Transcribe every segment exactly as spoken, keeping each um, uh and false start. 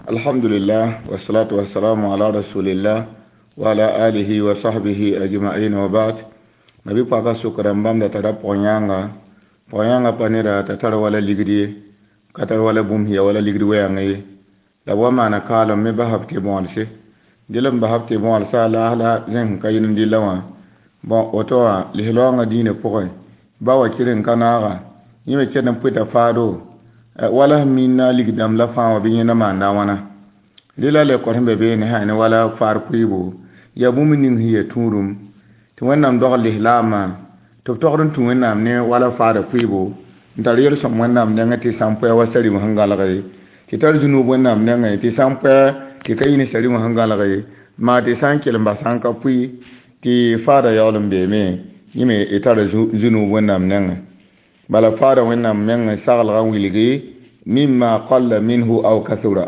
Alhamdulillah wassalatu wassalamu ala rasulillah wa ala alihi wa sahbihi ajma'in wa ba'd. Mabi paka sukra bãmb da tara pʋg-yãanga pʋg-yãangã pa neda t'a tar wala ligd ye ka tar wala bũmb ya wala ligd wɛɛng ye la b wa maana kaalem me bas b tɩ bõolse dɩl n bas b tɩ bõolsa laas la zẽng ka yɩl n dɩlla wã bõn woto wã lislaoongã diinã pʋgẽ ba wa kɩr n ka naaga yẽ me kell n pʋɩta faado wala sẽn minna ligd-dãmb la fãa wã bɩ yẽnda maanda a wãna rɩla le kõ sẽn be beene sã ne wala faar pʋɩɩbo yaa bũmb ning sẽn yaa tũudum tɩ wẽnnaam dogl lislaamã tɩ b togd n tũ wẽnnaam ne wala faada pʋɩɩbo n tar yel-sõm wẽnnaam nengẽ tɩ sã n pʋɛ wa sarim sẽn gãlge tɩ tar zũnub wẽnnaam nengẽ tɩ sã n pʋɛ tɩ ka yɩ ne sarim sẽn gãlge maa tɩ sã n kell n bas sã n ka pʋɩ tɩ faada yaool n beeme yẽ me y tara zũnub wẽnnaam nengẽ bala faada wẽnnaam meng saglgã wilgi mimma qalla minhu aw kathura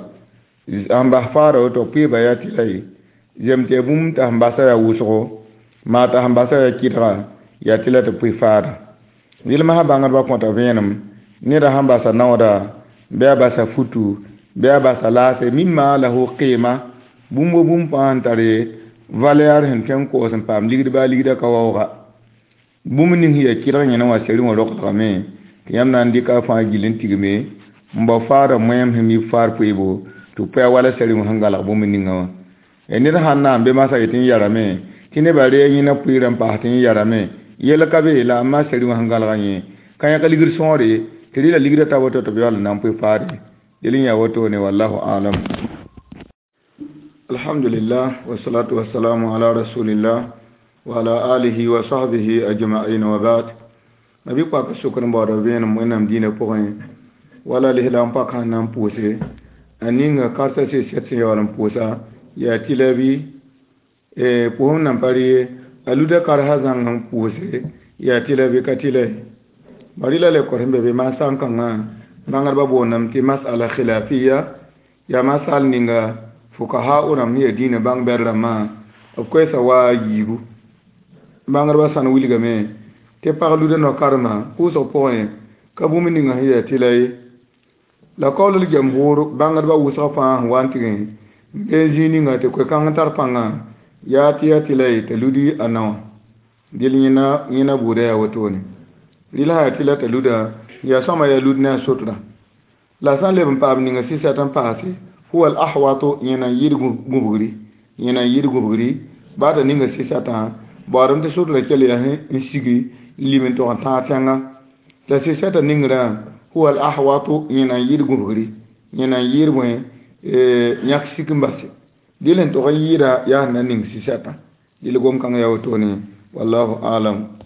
sẽn bas faada woto pʋɩɩba yaa tɩ la ye zem tɩ ya bũmb t'a sẽn basa yaa wʋsgo maa t'a sẽn basa yaa kɩdga yaa tɩ la tɩ pʋɩ faada yɩlmsã bãngdbã kõta vẽenem neda sẽn basa naooda bɩ a basa futu bɩ a basa laase mimma lahu qɩɩma bũmb wo bũmb fãa sẽn tare valɛɛr sẽn tõe n koos n paam ligd baa ligda ka waooga bũmb ning sẽn yaa kɩdg yẽne wã seri wã roglgame tɩ yãmb na n dɩka fãa gill n tigme n bao faada moẽem sẽn mib faar pʋɩɩbo tɩ b pʋa wala seri wã sẽn galg bũmb ninga wã ned sãn na n be masã yetɩ n yarame tɩ nebã ree yẽna pʋɩɩrã n paas tɩ n yarame yell ka be la a ma seri wã sẽn galga yẽ ka yãk ligd sõore tɩ rɩla ligda ta woto tɩ b yaool n na n pʋɩ faare del n yaa wotone wallahu alam. Alhamdulillah wassalatu wassalamu ala rasulillah wa ala alihi wa sahbihi ajma'in wa ba'd. Mabi paka sukr n baooda vẽenem wẽnnaam dĩinã pʋgẽ wala lislaam pak sẽn na n pʋʋse a ninga karsa sɩ-sɛt sẽn yaool n pʋʋsa yaa tɩ la bɩ pʋsem nan pa rɩ a luda karsa zãng n pʋʋse yaa tɩ la bɩ ka tɩ la ye bari la le kõ sẽn be be maan sãn-kãngã bãngdbã boondame tɩ masala khilafiya yaa masal ninga fukaha rãmb sẽn yaa dĩinã bãng bɛd rãmbã b koɛɛsa wa a yiibu bãngdbã sãn wilgame tɩ pag luda no-karema pʋʋsg pʋgẽ ka bũmb ninga sẽn yaa tɩ la ye la kaooll jamhur bãngdbã wʋsg fãa sẽn wa n tɩgẽ n bee zĩig ninga tɩ koe-kãng tar pãnga yaa tɩ yaa tɩ la ye t'a ludi a naowã dɩl yẽna yẽna buudã yaa wotone rɩl sã yaa tɩ la t'a luda yaa sõma yaa lud ne a sotra la sã n leb n paam ninga sɩsɛt n paase huwa al ahwatu yẽna n yɩɩd gũbgri yẽna n yɩɩd gũbgri baa t'a ninga sɩsɛtã baoodem tɩ sotra kell yaa n sigi n lim n tog n tãag tẽnga la sɩsɛtã ningrã huwa al ahwatu yẽna n yɩɩd gũbgri yẽna n yɩɩd bõe yãk sik n base dɩl n tog n yɩɩda yaa sẽn na ning sɩsɛtã dɩl gom-kãng yaa wotone wallahu alam.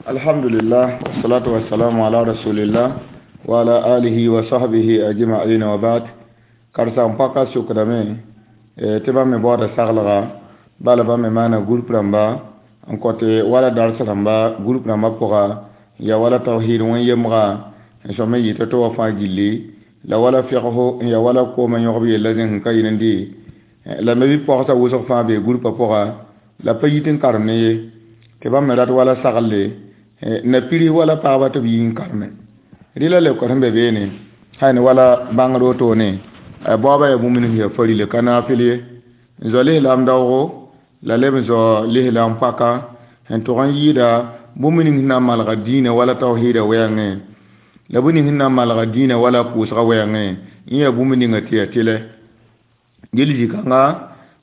Alhamdulillah wassalatu wassalamu ala rasulillah wa ala alihi wa sahbihi ajma'in wa ba'd. Karsa n paka sukdame tɩ bãmb me baooda saglga bala bãmb me maana group rãmba n kõte wala dars rãmba group rãmbã pʋga ya wala tawhid wẽn-yemga n sõm n yɩ tɩ wa fãa gilli la wala figsgo n ya wala koomã yõgb yella zẽng sẽn ka yɩl n dɩ la me bɩ pɔgsa wʋsg fãa bee groupa pʋga la pa yit n karem ne ye tɩ bãmb me rat wala sagle na piris wala pagba tɩ b yi n kareme rɩla le kõ sẽn be beene sã ne wala bãngd wotone baoobã yaa bũmb ning yaa farile ka naafɩl ye n zoa lislaam daoogo la leb n zoa lislaam paka sẽn tʋg n yɩɩda bũmb ning sẽn na n malga dĩinã wala tawhiida wɛɛngẽ la bũmb ning sẽn na n malga dĩinã wala pʋʋsgã wɛɛngẽ yẽ yaa bũmb ninga tɩ yaa tɩlɛ dɩl zĩ-kãnga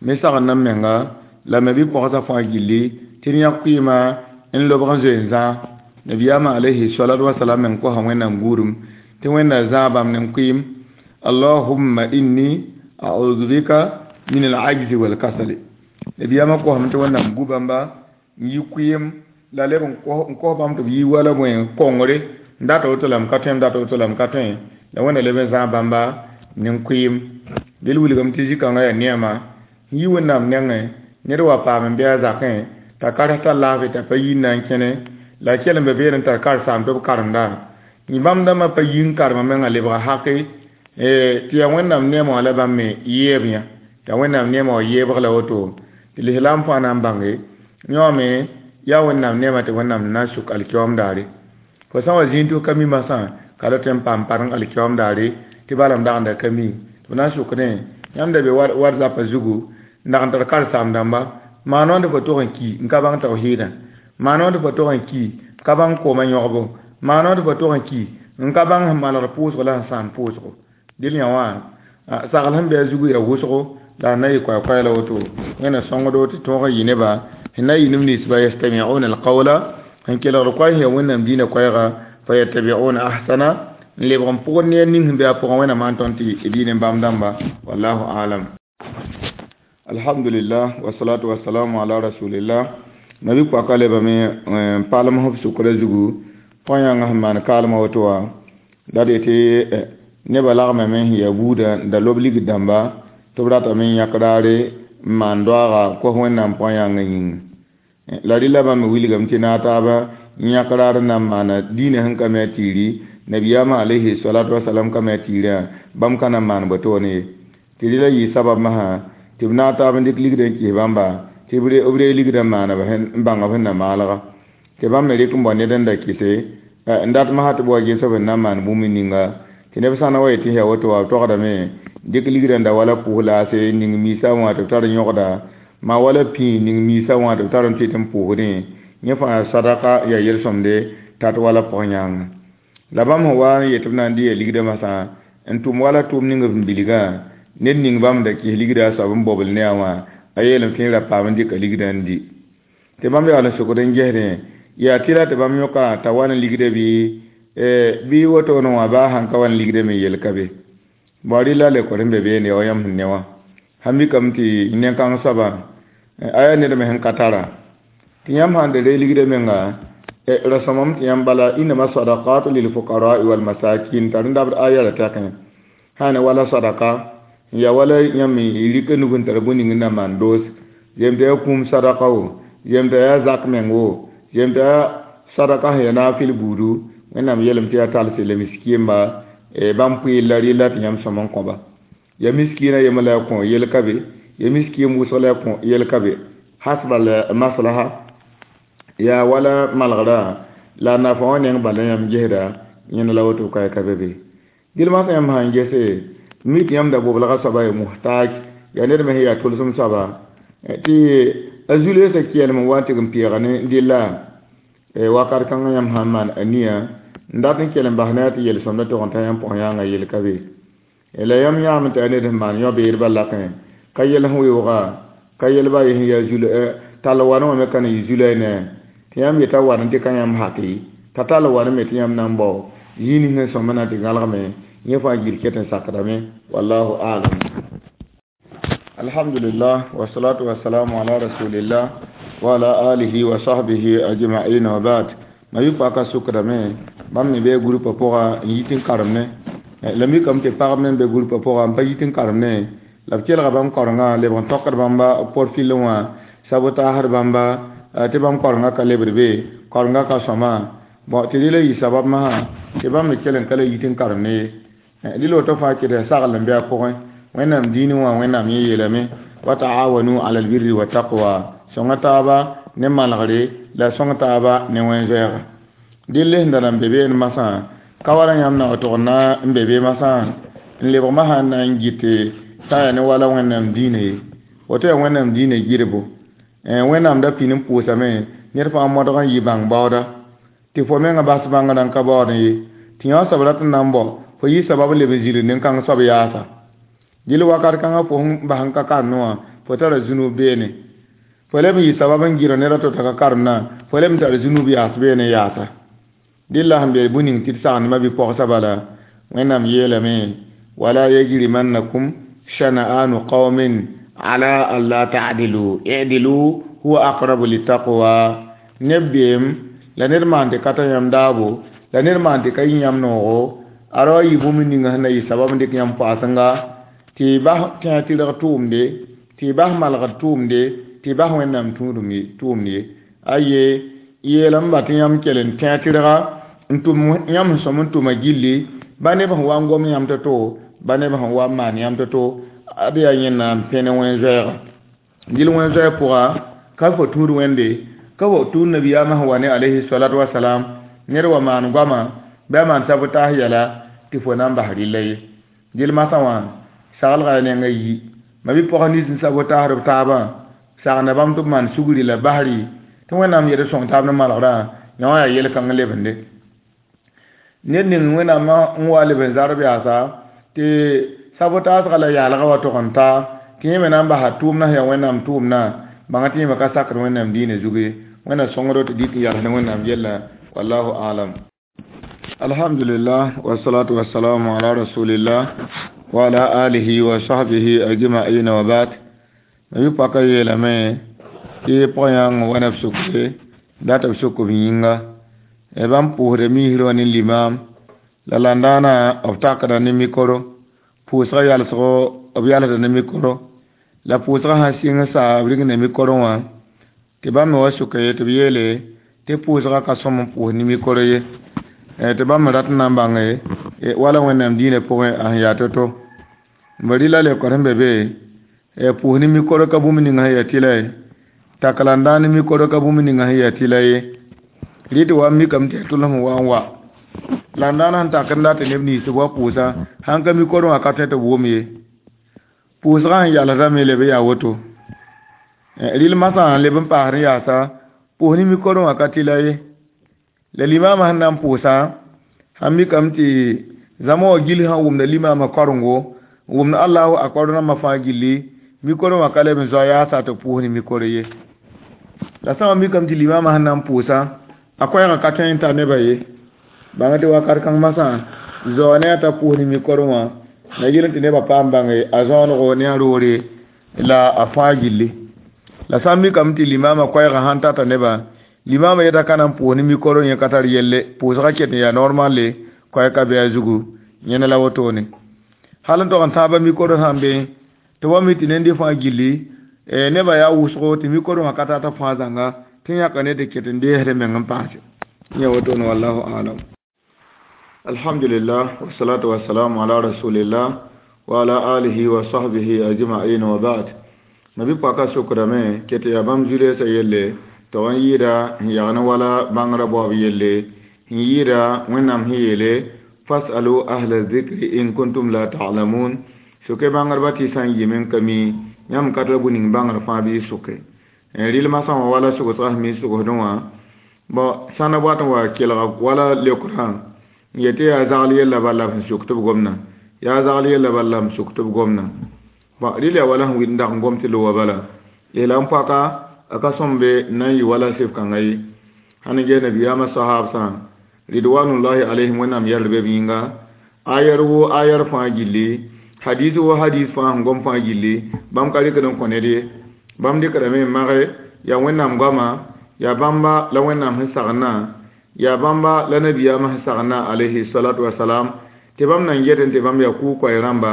me sagend n menga la me bɩ pɔgsa fãa gilli tɩ d yãk kʋɩɩmã n lobg n zoe n zãag nabiyaamã alayhi salatu wasalam meng kosa wẽnnaam guudum tɩ wẽnna zãag bãmb ne kʋɩɩm allahumma inni a'udhu bika min al-ajzi wal kasali nabiyaamã kosame tɩ wẽnnaam gu bãmba n yi kʋɩɩm la leb n kos bãmb tɩ b yi wala bõe kongre n data woto la m ka tõe m data woto la m ka tõe la wẽnna leb n zãag bãmba ne kʋɩɩm dɩl wilgame tɩ zĩ-kãngã yaa neema n yi wẽnnaam nengẽ ned wa paam n bɩ a zakẽ t'a kars t'a laafɩ t'a pa yi n na n kẽne la a kell n be beene n tar karsaam tɩ b karemda bãmb dãmbã pa yi n karema mengã lebga hake tɩ yaa wẽnnaam neemã wã la bãmb me yɛɛb yã t'a wẽnnaam neemã wã yɛɛbg la woto tɩ lislaam fãa na n bãnge yõ me yaa wẽnnaam neemã tɩ wẽnnaam na n suk alkiyoom daare fo sã n wa zĩig tɩ f ka mi masã ka la tõe n paam pareng alkiyoom daare tɩ bala m dagenda ka mi Tɩ b na n sokdẽ yãmb da be war-zapã zugu n dag n tar karen-saam-dãmba maan wã tɩ fo tog n ki n ka bãng tawhiidã maan wã tɩ fo tog n ki n ka bãng koomã yõgbo maan wã tɩ fo tog n ki n ka bãng sẽn malgd pʋʋsgo la sẽn sãam pʋʋsgo dɩl yã wã sagl sẽn be a zugu yaa wʋsgo la sẽn na yɩ koɛɛ-koɛɛg la woto wẽnna sõngdo tɩ tõog n yɩ neba sẽn na yɩ neb ninsba yastami'una alqawla sẽn kelgd koɛɛ sẽn yaa wẽnnaam diinã koɛɛga fa yattabi'una ahsana n lebg n pʋgd ne ning sẽn be a pʋgẽ wẽnnaam maan tõnd tɩ diinẽ bãmb dãmba wallahu alam. Alhamdulillah wasalatu wasalamu ala rasulillah. Nabi paka lebame n palem f sʋkrã zugu pʋgã yãnga sẽn maan kaalmã woto wã la d yetɩ nebã lagmame sẽn yaa buudã n da lob ligd dãmba tɩ b ratame n yãk raare n maan doaaga kos wẽnnaam pʋgã yãngã yĩnga la rɩla bãmb me wilgame tɩ naag taaba n yãk raar n na n maana diinã sẽn ka me a tiiri nabiyaamã alayhi salatu wasalam ka me a tiirã bãmb ka na n maan botone ye tɩ rɩla yɩ sabab masã tɩ b naag taab n dɩk ligdã n kɩs bãmba tɩ b reeg ligdã n maana n bãnga b sẽn na maalga tɩ bãmb me rɩk n bao ned n da kɩse n dat masã tɩ b wa ges b sẽn na n maan bũmb ninga tɩ neb sã na wa yetɩ yaa woto wa b togdame dɩk ligdã n da wala pʋʋs laase ning miisã wã tɩ b tar n yõgda maa wala pĩig ning miisã wã tɩ b tar n tɩ tɩ n pʋʋsdẽ yẽ fãa sadaka yaa yel-sõmde tat wala pʋgẽ yãnga la bãmb sẽn wa n yet tɩ b na n dɩ ya ligdã masã n tʋm wala tʋʋm ning b bilgã ned ning bãmb da kɩs ligdã a soab n bobl ne a wã a yeelame tɩ ra paam n dɩka ligdã n di tɩ bãmb yaool n sokd n gesdẽ yaa tɩ la tɩ bãmb yõka t'a wa n ligdã bɩ bɩ wotone wã baa sãn ka wa n ligdã me yel ka be bao rɩla le kor sẽn be beene wa yãmb sẽn ne wã sãn mikame tɩ nen-kãng soabã a yaa ned me sẽn ka tara tɩ yãmb sãn da reeg ligdã menga ra sõmame tɩ yãmb bala innama sadaqatu lilfuqarai walmasakin tar n dabd aya la tɛkẽ sã ne wala sadaka n yaa wala yãmb rɩka nug n tar bũmb ning n na maan doos yem tɩ yaa kũum sadaka wo yem tɩ yaa zak meng wo yem tɩ yaa sadaka sẽn yaa naafɩl buudu wẽnnaam yeelame tɩ yaa talse la miskɩɩmba bãmb pʋɩɩl la rɩla tɩ yãmb sõm n kõba ya miskiina yembr la ya kõ yel ka be ya miskiim wʋsg la ya kõ yel ka be hasba la maslaha yaa wala malgrã la nafa wã neng bala yãmb gesda yẽnd la woto ka ka be be dɩl masã yãmb sãn gese mi tɩ yãmb da boblga soaba ya muhtaj yaa ned me sẽn yaa tʋlsem soaba tɩ a zu-loeesã kɛɛlem n wa n tɩg n peega ne dɩlla wakat kãngã yãmb sãn maan a nia n dat n kell n bas ne a tɩ yel-sõmdã tog n ta yãmb pʋgẽ yãnga yel ka be la yãmb yãame tɩ a ned sẽn maan yõ-beedbã lakẽ ka yel sẽn weooga ka yelba ye sẽn yaa zul tall wan wã me ka na yɩ zulay ne tɩ yãmb yeta wan n dɩka yãmb hake t'a tall wan me tɩ yãmb na n bao zĩig ning sẽn sõmba na tɩ gãlgme yẽ fãa gil ket n sakdame wallahu alam. Alhamdulillah wasalatu wasalamu ala rasulillah wa ala alihi wa sahbihi ajma'in wa ba'd. Ma yʋ paka sʋkdame bãmb me bee gurpã pʋga n yit n karemne la mikame tɩ pagb me n be gurpã pʋga n pa yit n karemne la b kelga bãmb karenga lebg n tokd bãmba porfil wã sabotaasd bãmba tɩ bãmb karenga ka lebd be karenga ka sõma bɔn tɩ rɩla yɩ sabab masã tɩ bãmb me kell n ka la yit n karemne ye rɩla woto fãa kɩd sagl n be a pʋgẽ wẽnnaam diinẽ wã wẽnnaam yẽ yeelame wa taawanu ala albirri wa taqwa sõnga taaba ne malgre la sõng taaba ne wẽn-zoɛɛga dɩl sẽn da na n be beene masã ka wala yãmb na wa tog na n be be masã n lebg masã n na n gɩte t'a yaa ne wala wẽnnaam diinã ye woto yaa wẽnnaam diinã gɩrbo wẽnnaam da pĩn n pʋʋsame ned fãa modg n yɩ bãng baooda tɩ fo menga bas bãngrã n ka baood ye tɩ yã soab rat n na n bao fo yɩ sabab leb n zĩnd nin-kãng soab yaasa dɩl wakat kãngã fo sẽn bas n ka karemd wã fo tara zũnub beene fo leb n yɩ sabab n gɩrg ned a to t'a ka karemdã fo leb n tar zũnub yaas beene yaasa dɩl la sẽn be bũmb ning tɩ d sagndmã bɩ pɔgsa bala wẽnnaam yeelame wala yajrimannakum shana'anu qaumin ala alla ta'dilu i'dilu huwa aqrabu littaqwa neb beem la ned maan tɩ ka ta yãmb daabo la ned maan tɩ ka yĩ yãmb noogo a ra wa yɩ bũmb ninga sẽn na yɩ sabab n dɩk yãmb paasenga tɩ y bas tẽa tɩrg tʋʋmde tɩ y bas malgd tʋʋmde tɩ y bas wẽnnaam tʋʋmd ye aye yeelame ba tɩ yãmb kell n tẽa tɩrga n tʋm yãmb sẽn sõm n tʋma gilli ba neb sẽn wa n gom yãmb to-to ba neb sẽn wa n maan yãmb to-to ad yaa yẽnna n pẽne wẽn-zoɛɛga dɩl wẽn-zoɛɛg pʋga ka fo tũud wẽnde ka fo tũud nabiyaamã sẽn wa ne alayhi salatu wasalam ned wa maan goama bɩ a maan sabotaas yɛla tɩ fo na n bas rɩlla ye dɩl masã wã Saglga nenga yi ma bɩ pɔg nins n sabotaasd b taabã sagenda bãmb tɩ b maan sugri la basri tɩ wẽnnaam yet sõng taab ne malgrã yã wã yaa yel-kãng lebende ned ning wẽnnaamã n wa leb n zarb yaasa tɩ sabotaasga la yaalga wa tog n taa tɩ yẽ me na n basa tʋʋmdã sẽn yaa wẽnnaam tʋʋmdã bãnga tɩ yẽ me ka sakd wẽnnaam diinã zug ye wẽnna sõngdo tɩ dɩk n yals ne wẽnnaam yellã wallahu alam. Alhamdulillah wassalatu wassalamu ala rasulillah wa ala alihi wa sahbihi ajma'in wa ba'd. Ma paka yeelame tɩ pʋgã wa neb sukre dat b suk b yĩnga bãmb pʋʋsda misrã wã ne limam la landãana b takda ne mikoro pʋʋsga yalsgo b yalsda ne mikoro la pʋʋsga sã sɩng sa b ring ne mikoro wã tɩ bãmb me wa suka ye tɩ b yeele tɩ pʋʋsga ka sõm n pʋʋs ne mikoro ye tɩ bãmb me rat n na n bãnge wala wẽnnaam diinã pʋgẽ a sẽn yaa to-to b rɩla leokr sẽn be be pʋʋs ne mikoro ka bũmb ninga sẽn yaa tɩla ye tak la n dãan ne mikoro ka bũmb ninga sẽn yaa tɩla ye rɩ tɩ wa mikame tɩ yaa tʋlsem wa n wa la n dãan sẽn tak n dat neb nins tɩ b wa pʋʋsa sãn ka mikoro wã ka tõe tɩ b wʋm ye pʋʋsgã sẽn yalsdame leb n yaa woto rɩl masã n leb n paasd n yaasa pʋʋs ne mikoro wã ka tɩla ye la limama sẽn na n pʋʋsa sãn mikame tɩ zãma wã gill sã wʋmda limama karengo n wʋmd allahu akbar rãmbã fãa gilli mikoro wã ka leb n zoa yaasa tɩ pʋʋs ne mikoro ye la sã wa mikame tɩ limama sẽn na n pʋʋsa a koɛɛgã ka tõe n tar nebã ye bãng tɩ wakat kãng masã zao ne a t'a pʋʋs ne mikoro wã la yel tɩ nebã paam bãnge a zõonego ne a roore la a fãa gilli la sã n mikame tɩ limama koɛɛgã sãn tata nebã limama yeta ka na n pʋʋs ne mikoro yẽ ka tar yelle pʋʋsgã ket n yaa normale koɛɛg ka be a zugu yẽne la wotone hal n tog n tãaba mikoro sã n be tɩ wa mi tɩ ned fãa gilli nebã yaa wʋsgo tɩ mikoro wã ka tata fãa zãnga tɩ yãka ne tɩ ket n deesd meng n paase yẽ wotone wallahu alam. Alhamdulillah wassalatu wassalamu ala rasulillah wa ala alihi wa sahbihi ajma'in wa ba'd. Ma bɩ paka sʋkdame ket yaa bãmb zu-reesã yelle tɩ n yɩɩda n yagn wala bãngrã baoob yelle n yɩɩda wẽnnaam sẽn yeele fasalu ahla zikri in kuntum la ta'lamun sʋke bãngdbã tɩ sã n yɩm n ka mi yãmb ka tara bũ ning bãngr fãa bɩ y sʋke rɩlmã sã wã wala sʋgsgã sẽn mi sʋgsdẽ wã bõ sãn na boat n wa kelga wala leokrã n yetɩ yaa zagl yella bala b sẽn suk tɩ b gomdã yaa zagl yella bala b suk tɩ b gomdã bõ rɩl yaa wala sẽn wɩd n dag n gom tɩ lowa bala yeela n paka a ka sõmbe n na n yɩ wala sɩf kãngã ye sãn n ges nabiyaamã sahaabsã ridwanullahi alayhim wẽnnaam yɛl be b yĩnga ayar wo ayar fãa gilli hadis wo hadis fãa sẽn gom fãa gilli bãmb ka rɩkd n kõ ned ye bãmb dɩkdame n mage yaa wẽnnaam goama yaa bãmba la wẽnnaam sẽn sagna yaa bãmba la nabiyaamã sẽn sagna alayhi salatu wasalam tɩ bãmb nan get n tɩ bãmb yaa kʋʋ-koɛɛ rãmba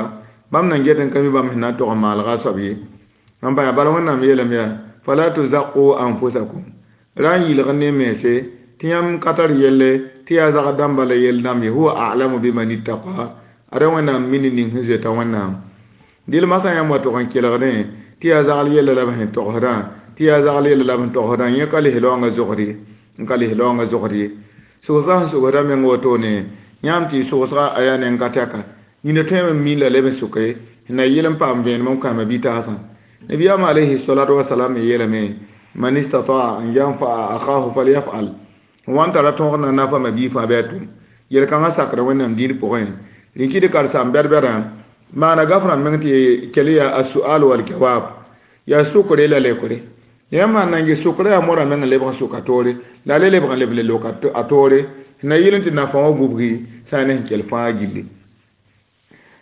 bãmb nan get n ka mi bãmb sẽn na n tog n maalga a soab ye n pa yaa bala wẽnnaam yeelame yaa fala tuzaqu anfusakum ra n yɩlg ne mense tɩ yãmb ka tar yelle tɩ yaa zagd dãmba la yell dãmb ye huwa a'lamu biman ittaqa ada wẽnnaam mini ning sẽn zoeta wẽnnaam dɩl masã yãmb wa tog n kelgdẽ tɩ yaa zagl yella la b sẽn togsdã tɩ yaa zagl yella la b sẽn togsdã yẽ ka lis laoongã zogd ye n ka lis laoongã zogd ye sʋgsgã sẽn sʋgsda meng wotone yãmb tɩ sʋgsga a yaa neng ka tɛka nina tõeme n min la leb n sʋke sẽn na yɩl n paam vẽenem n kãama bitaasã nabiyaamã alayhi salatu wasalam me yeelame man istataa an yanfaa akahu falyafal n wa n tara tõog na nafa ma bii fãa bɩ a tʋm yel-kãngã sakda wẽnnaam dĩir pʋgẽ rĩkɩd karsaam bɛd-bɛdã maana gafrã meng tɩ kell yaa asual wal jawab yaa sʋkre la lekre yãmb sãn na n ges sʋkrã yaa morã meng n lebg n sʋk a toore la a le lebg n leb le lok a toore sẽn na yɩl n tɩ nafa wã gubgi sã n ne sẽn kell fãa gilli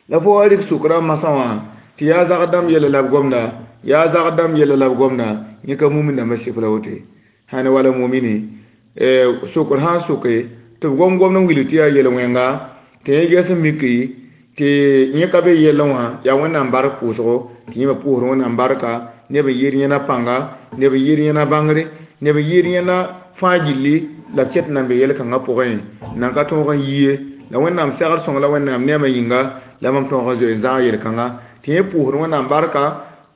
la fo wa rɩk sʋkrã masã wã tɩ yaa zagd dãmb yɛla la b gomda yaa zagd dãmb yɛla la b gomda yẽ ka mumin dãmbã sɩf la woto ye sãn wala mumini sʋkr sã n sʋke tɩ b gom gomd n wilg tɩ yaa yel-wẽnga tɩ yẽ ges n miki tɩ yẽ ka be yellẽ wã yaa wẽnnaam bark pʋʋsgo tɩ yẽ me pʋʋsd wẽnnaam barka neb n yɩɩd yẽna pãnga neb n yɩɩd yẽna bãngre neb n yɩɩd yẽna fãa gilli la b ket n na n be yel-kãngã pʋgẽ nan ka tõog n yi ye la wẽnnaam segd sõng la wẽnnaam neemã yĩnga la mam tõog n zoe n zãag yel-kãngã tɩ yẽ pʋʋsd wẽnnaam barka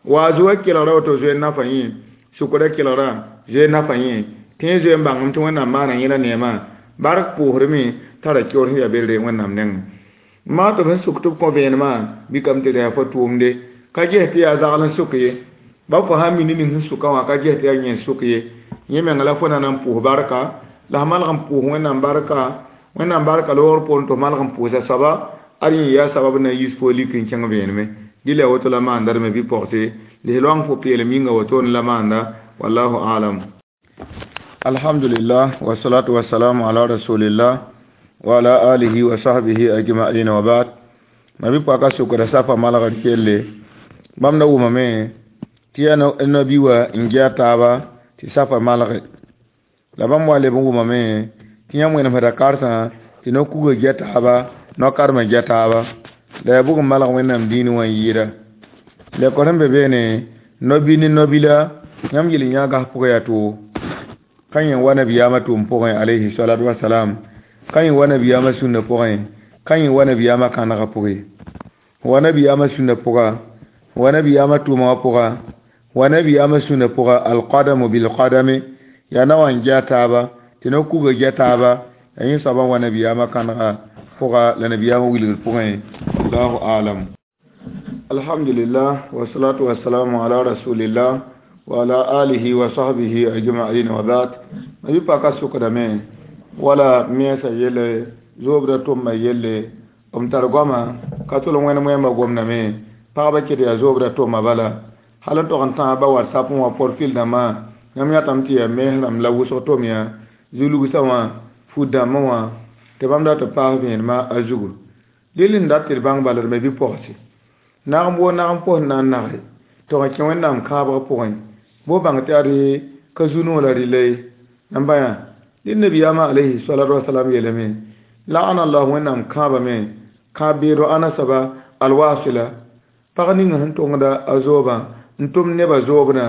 wa a zoa kelgra woto zoe n nafa yẽ sʋkrã kelgrã zoe n nafa yẽ tɩ yẽ zoe n bãngem tɩ wẽnnaam maana yẽla neemã bark pʋʋsdme tara keoor sẽn yaa berre wẽnnaam nengẽ Maa tɩ b sẽn suk tɩ b kõ vẽenemã bɩ kam tɩ rẽ fo tʋʋmde ka ges tɩ yaa zagl n sʋk ye ba fo sã n mi ne ning sẽn sʋka wã ka ges tɩ yaa yẽn sʋk ye yẽ menga la fo na n pʋʋs barka la f malg n pʋʋs wẽnnaam barka wẽnnaam barka loogr poorẽ tɩ f malg n pʋʋsa soaba ad yẽ yaa sabab na n yiis fo lik n kẽng vẽeneme dɩla woto la maanda d me bɩ pɔgse lis-loang fo peelem yĩnga wotone la maanda wallahu alam. Alhamdulillah wasalatu wasalamu ala rasulillah wa ala alihi wa sahbihi ajma'in wa ba'd. Ma bɩ paka sʋkda safa malgr kelle bãmb da wʋmame tɩ yaa nabi wa n gea taaba tɩ safa malge la bãmb wa leb n wʋmame tɩ yãmb wẽnemsda karsã tɩ no-kuga gea taaba no-karmã gea taaba la yaa bʋg n malg wẽnnaam dĩinẽ wã n yɩɩda la sẽn be beene no-bi ne no-bila yãmb yel yã gas pʋgã yaa too ka yẽ wa nabiyaamã tʋʋm pʋgẽ alayhi salatu wasalam ka yẽ wa nabiyaamã sũnna pʋgẽ ka yẽ wa nabiyaamã kãnegã pʋgẽ wa nabiyaamã sũnna pʋga wa nabiyaamã tʋʋma wã pʋga wa nabiyaamã sũnna pʋga alqadamu bilqadami yaa na wa n gea taaba tɩ no-kuga gea taaba yaa yẽ soabã wa nabiyaamã kãnegã pʋga la nabiyaamã wilgr pʋgẽ allahu alam. Alhamdulillah wasalatu wasalamu ala rasulillah wa ala alihi wa sahbihi ajma'in wa ba'd. Ma bɩ paka sʋkdame wala mensã yelle zoobda tʋmã yelle m tar goama ka tol wẽnd wẽmba gomdame pagba ket yaa zoobda tʋmã bala hal n tog n tãag ba whatsapp wã porfil dãmbã yãmb yãtame tɩ yaa mens rãmb la wʋsg tʋm yaa zu-lugsã wã fut dãmbã wã tɩ bãmb dat n paas vẽenemã a zugu dɩl n dat tɩ d bãng bala d me bɩ pɔgse nagem woo nagem pos n na n nage tɩ n kẽ wẽnnaam kãabg pʋgẽ bo bãng tɩ ad ka zu-noog la rɩla ye namba yã dɩ nabiyaamã alayhi salatu wasalam yeelame la'ana allah wẽnnaam kãabame kãab beedo ãna soaba alwasila pag ning sẽn tongda a zoobã n tʋm nebã zoobdã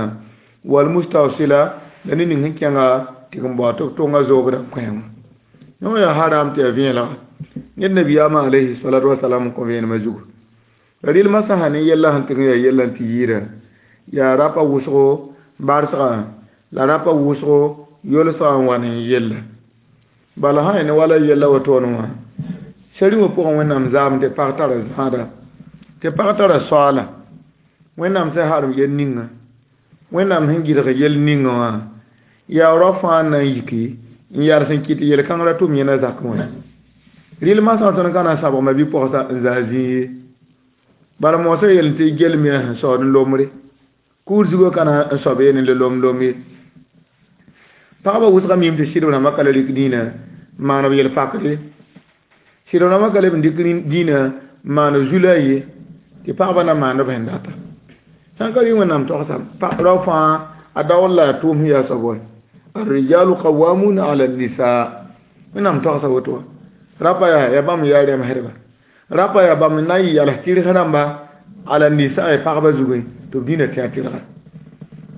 walmustawsila la ne ning sẽn kẽnga tɩ n bao tɩ b tʋnga zoobdã n kõ wã yõ yaa haram tɩ yaa vẽelga ned nabiyaamã alayhi salatu wasalam n kõ vẽenemã zugu la rɩl masã sã ne yɛlla sẽn tɩg n yaa yɛlla n tɩ yɩɩda yaa rapa wʋsgo barsgã la rapa wʋsgo yolsgã n wa ne yella bala sã ne wala yella wotone wã sari wã pʋgẽ wẽnnaam zaam tɩ pag tara zãada tɩ pag tara soaala wẽnnaam sẽn harem yel ninga wẽnnaam sẽn gɩdg yel ninga wã yaa rao fãa n na n yiki n yals n kɩt yel-kãngrã tʋm yẽna zakẽ wã rɩl masã tõnd ka na n sabgma bɩ-pɔgsa n zaa zĩig ye bala moosã yel tɩ gel me sẽn saood n lombre kuur zugã ka na n soab ye ne le lom lom ye pagba wʋsga mim tɩ sɩdb rãmbã ka la rɩk dĩinã maan b yel-pakre sɩdb rãmbã ka leb n dɩk dĩinã maan b zu-la ye tɩ pagba na maand b sẽn data sãn ka rɩ wẽnnaam togsa rao fãa a daoor la a tʋʋm sẽn yaa soab wa الرجال قوامون على النساء wẽnnaam togsa woto wã rapa yaa yaa bãmb yaa rẽmsdba rapa yaa bãmb na n yals tɩrg rãmba ala nisaa pagba zugẽ tɩ b dĩnã tẽ a tɩrga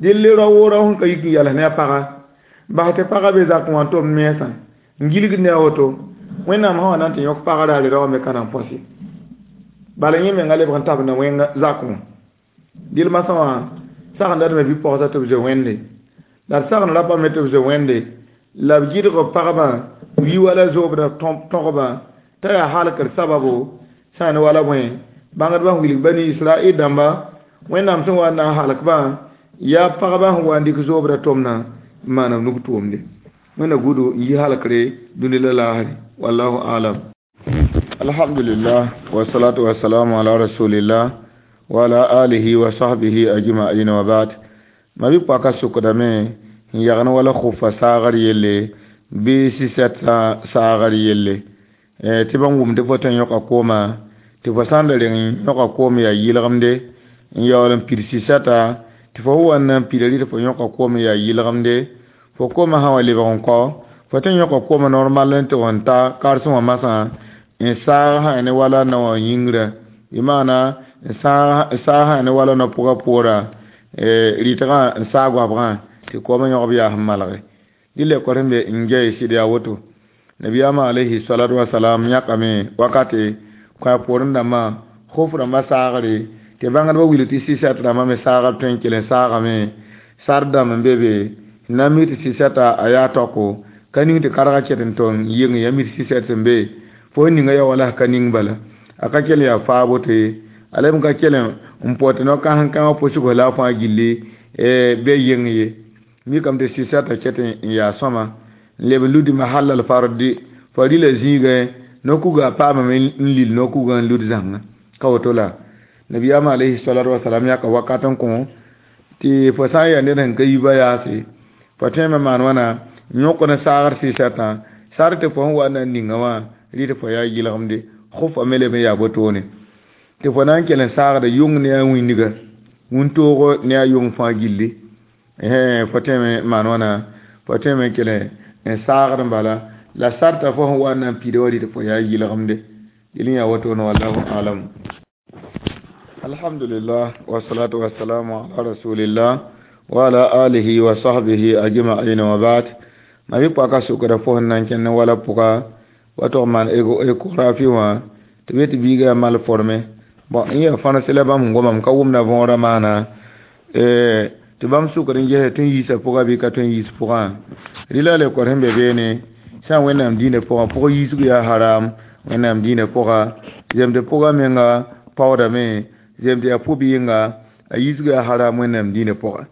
dɩl rao woo rao sẽn ka yik n yals ne a paga bas tɩ pagã be zakẽ wã tʋm mensã n gilgd ne a woto wẽnnaam sã wa na n tɩ yõk pagã raare rao me ka na n põse bala yẽ menga lebg n tabenda wẽng zakẽ wã dɩl masã wã sagenda d me bɩ-pɔgsa tɩ b zoe wẽnde la d sagend rapa me tɩ b zoe wẽnde la b gɩdg pagba b yi wala zoobdã tõgba t'a yaa halkr sababo sã n wala bõe bãngdbã sẽn wilg bani israel dãmba wẽnnaam sẽn wa n na n halkbã yaa pagba sẽn wa n dɩk zoobdã tʋmna n maan b nug tʋʋmde wẽnna gudo n yi halkre dũni la laasre wallahu alam. Alhamdulillah wasalatu wasalamu ala rasulillah wa ala alihi wa sahbihi ajma'in wa ba'd. Ma bɩ paka sʋkdame n yagn wala khufa saagr yelle bɩ sɩsɛt saagr yelle tɩ bãmb wʋmd fo tõe n yõka kooma tɩ fo sã n da reng n yõka koom yaa yɩlgemde n yaool n pid sɩsɛta tɩ fo wa n na n pida rɩ tɩ fo yõka koom yaa yɩlgemde fo koomã sã wa lebg n kao fo tõe n yõka koomã normal n tɩ n ta karsẽ wã masã n saag sã ne wala naowã yĩngrã bɩ maana n saag sã ne wala no-pʋgã poora rɩtgã n saag goabgã tɩ koomã yõgb yaa sẽn malge dɩ le kor sẽn be n gɛɛ sɩd yaa woto nabiyaamã alayhi salatu wasalam yãkame wakate kõ poorẽ dãmbã khof rãmbã saagre tɩ bãngdbã wilg tɩ sɩsɛt rãmbã me saagr tõe n kell n saagame sar dãmb n be be n na n mi tɩ sɩsɛta a yaa taoko ka ning tɩ karga ket n tong yeng ya mi tɩ sɩsɛt sẽn be fo ninga ya wala ka ning bala A ka kell yaa faabo tɩ a leb n ka kell n pʋ tɩ no-kãsem-kãngã pʋsg la a fãa gilli be yeng ye. Mikame tɩ sɩsɛtã ket n yaa sõma n leb n ludi mahal al fardi farila zĩigẽ no-kuga paamame n lil no-kugã n lud zãngã ka woto la nabiyaamã alayhi salatu wasalam yãka wakat n kõ tɩ fo sã n yaa ned sẽn ka yi ba yaase fo tõeme maan wãna n yõk ne saagr sɩsɛtã sar tɩ fo sẽn wa na n ninga wã rɩ tɩ fo yaa yɩlgemde khufa me leb n yaa botone tɩ fo na n kell n saagda yʋng ne a wĩndga wĩntoogo ne a yʋng fãa gilli fo tõeme maan wãna fo tõeme n kell n saagd n bala la sarta fo sẽn wa n na n piida wa rɩ tɩ fo yaa yɩlgemde dɩl n yaa wotone wallahu alam. Alhamdulillah wassalatu wassalamu ala rasulillah wa ala alihi wa sahbihi ajma'in wa ba'd. Ma bi paka sukra fo sẽn na n kẽnd wala pʋga wa tog maan échographie wã tɩ be tɩ biiga mal formé bon n yaa fãns la bãmb n gomame ka wʋmda võorã maana tɩ bãmb sukr n ges tɩ n yiisa pʋga bɩ ka tõe n yiis pʋgã rɩla le kor sẽn be beene sã n wẽnnaam dĩinã pʋgã pʋg yiisg yaa haram wẽnnaam dĩinã pʋga zemd pʋga menga paoodame zemd yaa pʋb-yɩnga a yiisg yaa haram wẽnnaam dĩinã pʋga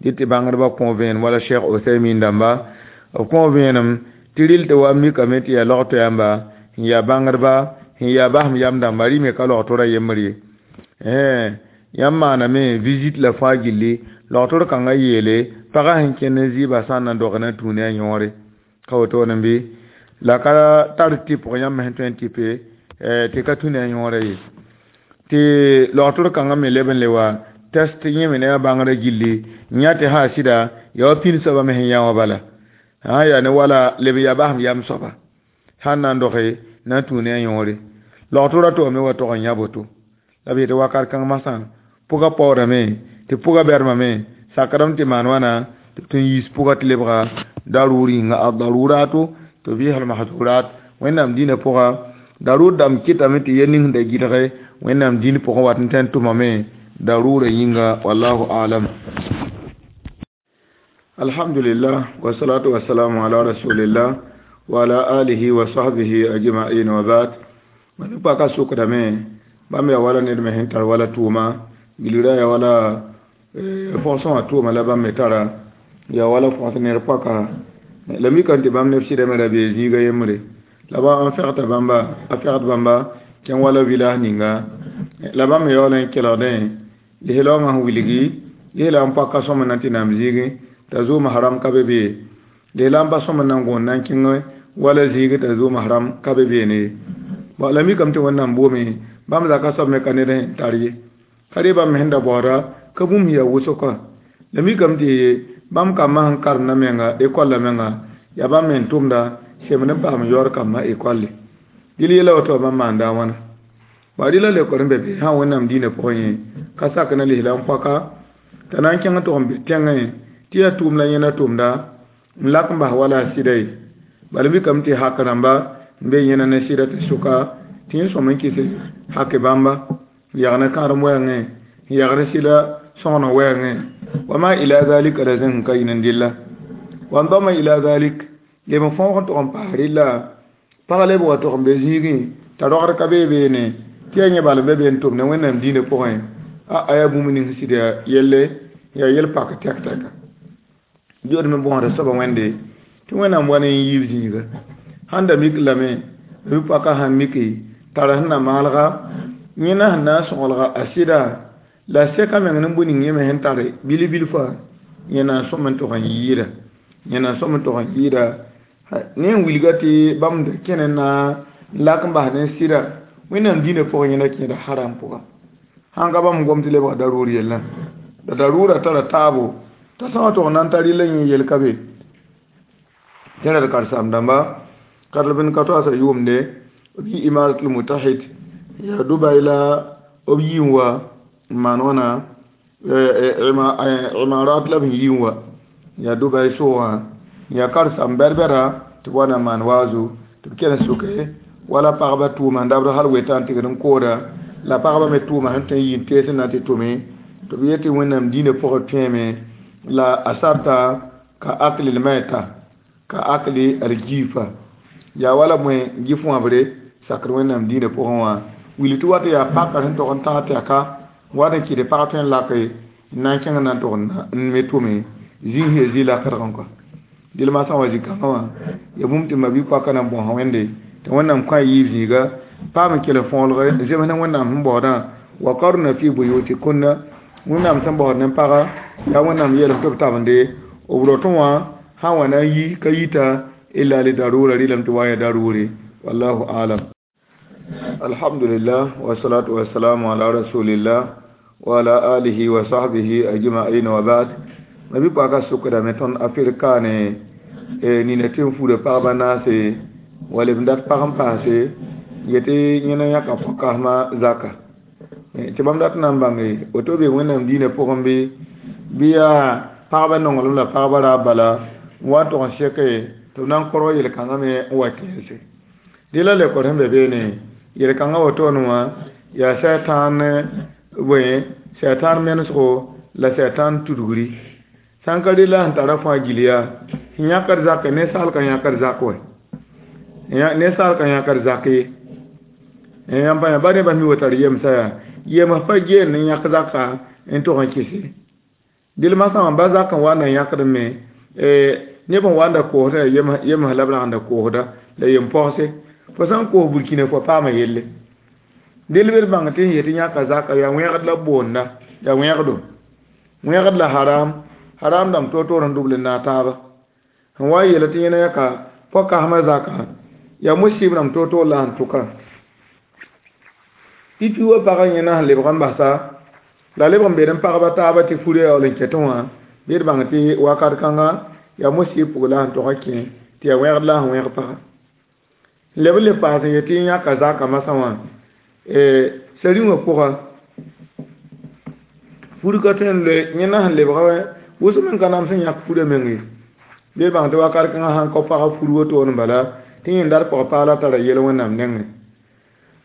dɩ tɩ bãngdbã kõ vẽenem wala Cheikh Ousaymin dãmba b kõ vẽenem tɩ rɩl tɩ wa mikame tɩ yaa log yãmba n yaa bãngdba n yaa basem yam dãmba rɩ me ka log-tora yembr ye yãmb maaname visite la fãa gilli log-tor kãngã yeele pagã sẽn kẽnd n zɩɩba sã n na n dog na n tũu ne a yõore ka wotone bɩ la ka tar tɩpg yãmb sẽn tõe n tɩpe tɩ ka tũ ne a yõorã ye tɩ log-tor kãngã me leb n le wa test yẽ me ne a bãngrã gilli n yã tɩ sã sɩda yaa wa pĩnd soabã me sẽn yã wã bala sã n yaa ne wala leb n yaa basem yam soaba sã n na n doge na n tũu ne a yõore log-tora to me wa tog n yã boto la b yetɩ wakat kãng masã pʋga paoodame tɩ pʋga bɛrmame sakdame tɩ maan wãna tɩ b tõe n yiis pʋga tɩ lebga daruur yĩnga ad-daruratu tubih al-mahzurat wẽnnaam dĩinã pʋga darur dãmb kɩtame tɩ yel ning sẽn da gɩdge wẽnnaam dĩin pʋgẽ wat n tõe n tʋmame darura yĩnga wallahu alam. Alhamdulillah wassalatu wassalamu ala rasulillah wa ala alihi wa sahbihi ajma'in wa ba'd. Ma paka sukdame bãmb yaa wala ned me sẽn tar wala tʋʋma gilgra yaa wala fõsẽ wã tʋʋma la bãmb me tara yaa wala fõs ned paka la mikame tɩ bãmb neb sɩdame ra bee zĩiga yembre la ba n fegta bãmba a fegd bãmba kẽn wala village ninga la bãmb me yaool n kelgdẽ lislaoongã sẽn wilgi lisla n paka sõm na n tɩ naam zĩigẽ t'a zoom haram ka be bee lisla n pa sõm n na n gõon na n kẽng wala zĩig t'a zoom haram ka be beene bon la mikame tɩ wẽnnaam boome bãmb zaka soab me ka ned sẽn tar ye ka re bãmb me sẽn da baooda ka bũmb yaa wʋsg la mikame tɩ bãmb kambã sẽn karemda menga ekolla menga yaa bãmb me n tʋmda semd n paam yaood kambã ekolle dɩl yɛla woto bãmb maanda a wãna wa rɩla lekor n be be sã wẽnnaam dĩinã pʋgẽ yẽ ka sak na lisla n poaka t'a na n kẽng tʋg n be tẽngẽ tɩ yaa tʋʋm la yẽna tʋmda n lak n bas wala a sɩda ye bala mikame tɩ hak rãmba n be yẽna ne sɩda tɩ sʋka tɩ yẽ sõm n kɩs hake bãmba n yag ne kãadem wɛɛngẽ n yag ne sɩda sõgen wɛɛngẽ wa ma ila zalika la zẽng ka yĩn n dɩlla wa n dama ila zalik leb n fõog n tʋg n paas rɩlla pag leb wa tʋg n be zĩigẽ t'a rogd ka bee beene tɩ yaa yẽ bal n be be n tʋm ne wẽnnaam dĩinã pʋgẽ a a yaa bũmb ning sɩd yaa yelle yaa yel pak tɛk tɛka zood me bõosda soaba wẽnde tɩ wẽnnaam wa ne n yiib zĩiga sãn da mik lame b paka sãn miki tara sẽn na maalga yẽna sẽn na n sõgelga a sɩda la sɛka meng ne bũ ning yẽ me sẽn tare bil-bilfã yẽ na n sõm n tʋg n yɩɩda yẽ na n sõm n tʋg n yɩɩda ne n wilga tɩ bãmb da kẽne na n lak n bas ne sɩda wẽnnaam dĩinã pʋgẽ yẽna kẽeda haram pʋga sãn ka bãmb gom tɩ lebga daruur yellã la daruura tara taabo t'a sã wã tʋg n na n tar rɩla yẽ yel ka be tẽra d karen-saam dãmba kadl ka toasa yʋʋmde b yi imaratul mutahid yaa Dubai la b yi n wa n maan wãna imarat la b yi n wa yaa Dubai soogã yaa karen-saam bɛd-bɛda tɩ b wa na n maan waazu tɩ b kell n sʋke wala pagba tʋʋma n dabd hal wetã n tigd n kooda la pagba me tʋʋma sẽn tõe n yi n tees n na tɩ tʋme tɩ b yetɩ wẽnnaam dĩinã pʋgẽ tõeeme la a sarta ka akli l-maita ka akli al-jifa yaa wala bõe gif wãbre sakd wẽnnaam dĩinã pʋgẽ wã Willi tɩ wat yaa paka sẽn tog n tãag tɛka wat n kɩt pag tõe n lake n na n kẽng na n tog n me tʋme zĩig ya zĩ lakdg n kɔa. Dɩl masã wã zĩ-kãngã wã ya bũmb tɩ mabi-poakã na n bõosa Wẽnde tɩ Wẽnnaam kõ a yiib zĩiga paam n kell n fõolge zems ne Wẽnnaam sẽn baoodã wa qarna fi buyutikunna Wẽnnaam sẽn baood ne paga yaa Wẽnnaam yeelame tɩ b tabende b rotẽ wã sã n wa na n yi ka yita illa li darura rɩlame tɩ wa n ya darure wallahu alam. Alhamdulillah wa salatu wa salamu ala rasulillah wa ala alihi wa sahbihi ajma'in wa ba'd. Mabi paka sukdame tõnd afirka ne nina tɩ n fuda pagba naase wala b dat pag n paase yetɩ yẽna yãka pʋg-kãsma zaka tɩ bãmb dat n na n bãnge woto be Wẽnnaam diinã pʋgẽ bɩ bɩ yaa pagba nonglem la pagba raab bala n wa n tog n seke tɩ b na n korg yel-kãngã me n wa kẽese dɩ la lekor sẽn be beene yel-kãngã wotone wã yaa sɛtãan bõe sɛtãan menesgo la sɛtãan tudgri sãn ka rela sẽn tara fãa gill yaa sẽn yãkd zak ninsaal ka yãkd zak wɛ ninsaal ka yãkd zak ye yãmb pa ba nebã mi wa tar yemsa yaa yems pa geen n yãk zaka n tog n kɩse dɩl masã wã ba zak n wa n na yãkd me neb n wa n da koosda yems la b rag n da koosda la yem pɔgse fo sã n koos burkina fo paama yelle dɩl b d bãng tɩ sẽn yetɩ yãka zaka yaa wẽgd la b boonda yaa wẽgdo wẽgd la haram haram dãmb toor-toor n dubl n naag taaba sẽn wa n yeela tɩ yẽna yãka pʋg-kãsmã zaka yaa musib rãmb toor-toor la sẽn tʋka pipi wa pagã yẽna sẽn lebg n basa la lebg n bed n pagba taaba tɩ furã yaool n kɛtẽ wã bɩ d bãng tɩ wakat kãnga yaa musib pʋg la sẽn tog n kẽ tɩ yaa wẽgd la sẽn wẽg paga leb n le paas n yetɩ yãka zaka masã wã sari-wã pʋga fur ka tõe n loe yẽna sẽn lebga wʋsem n ka nams n yãk furã meng ye bɩ bãng tɩ wakat kãngã sãn kao pagã fur wotone bala tɩ yẽn dat pʋg paala tara yel Wẽnnaam nengẽ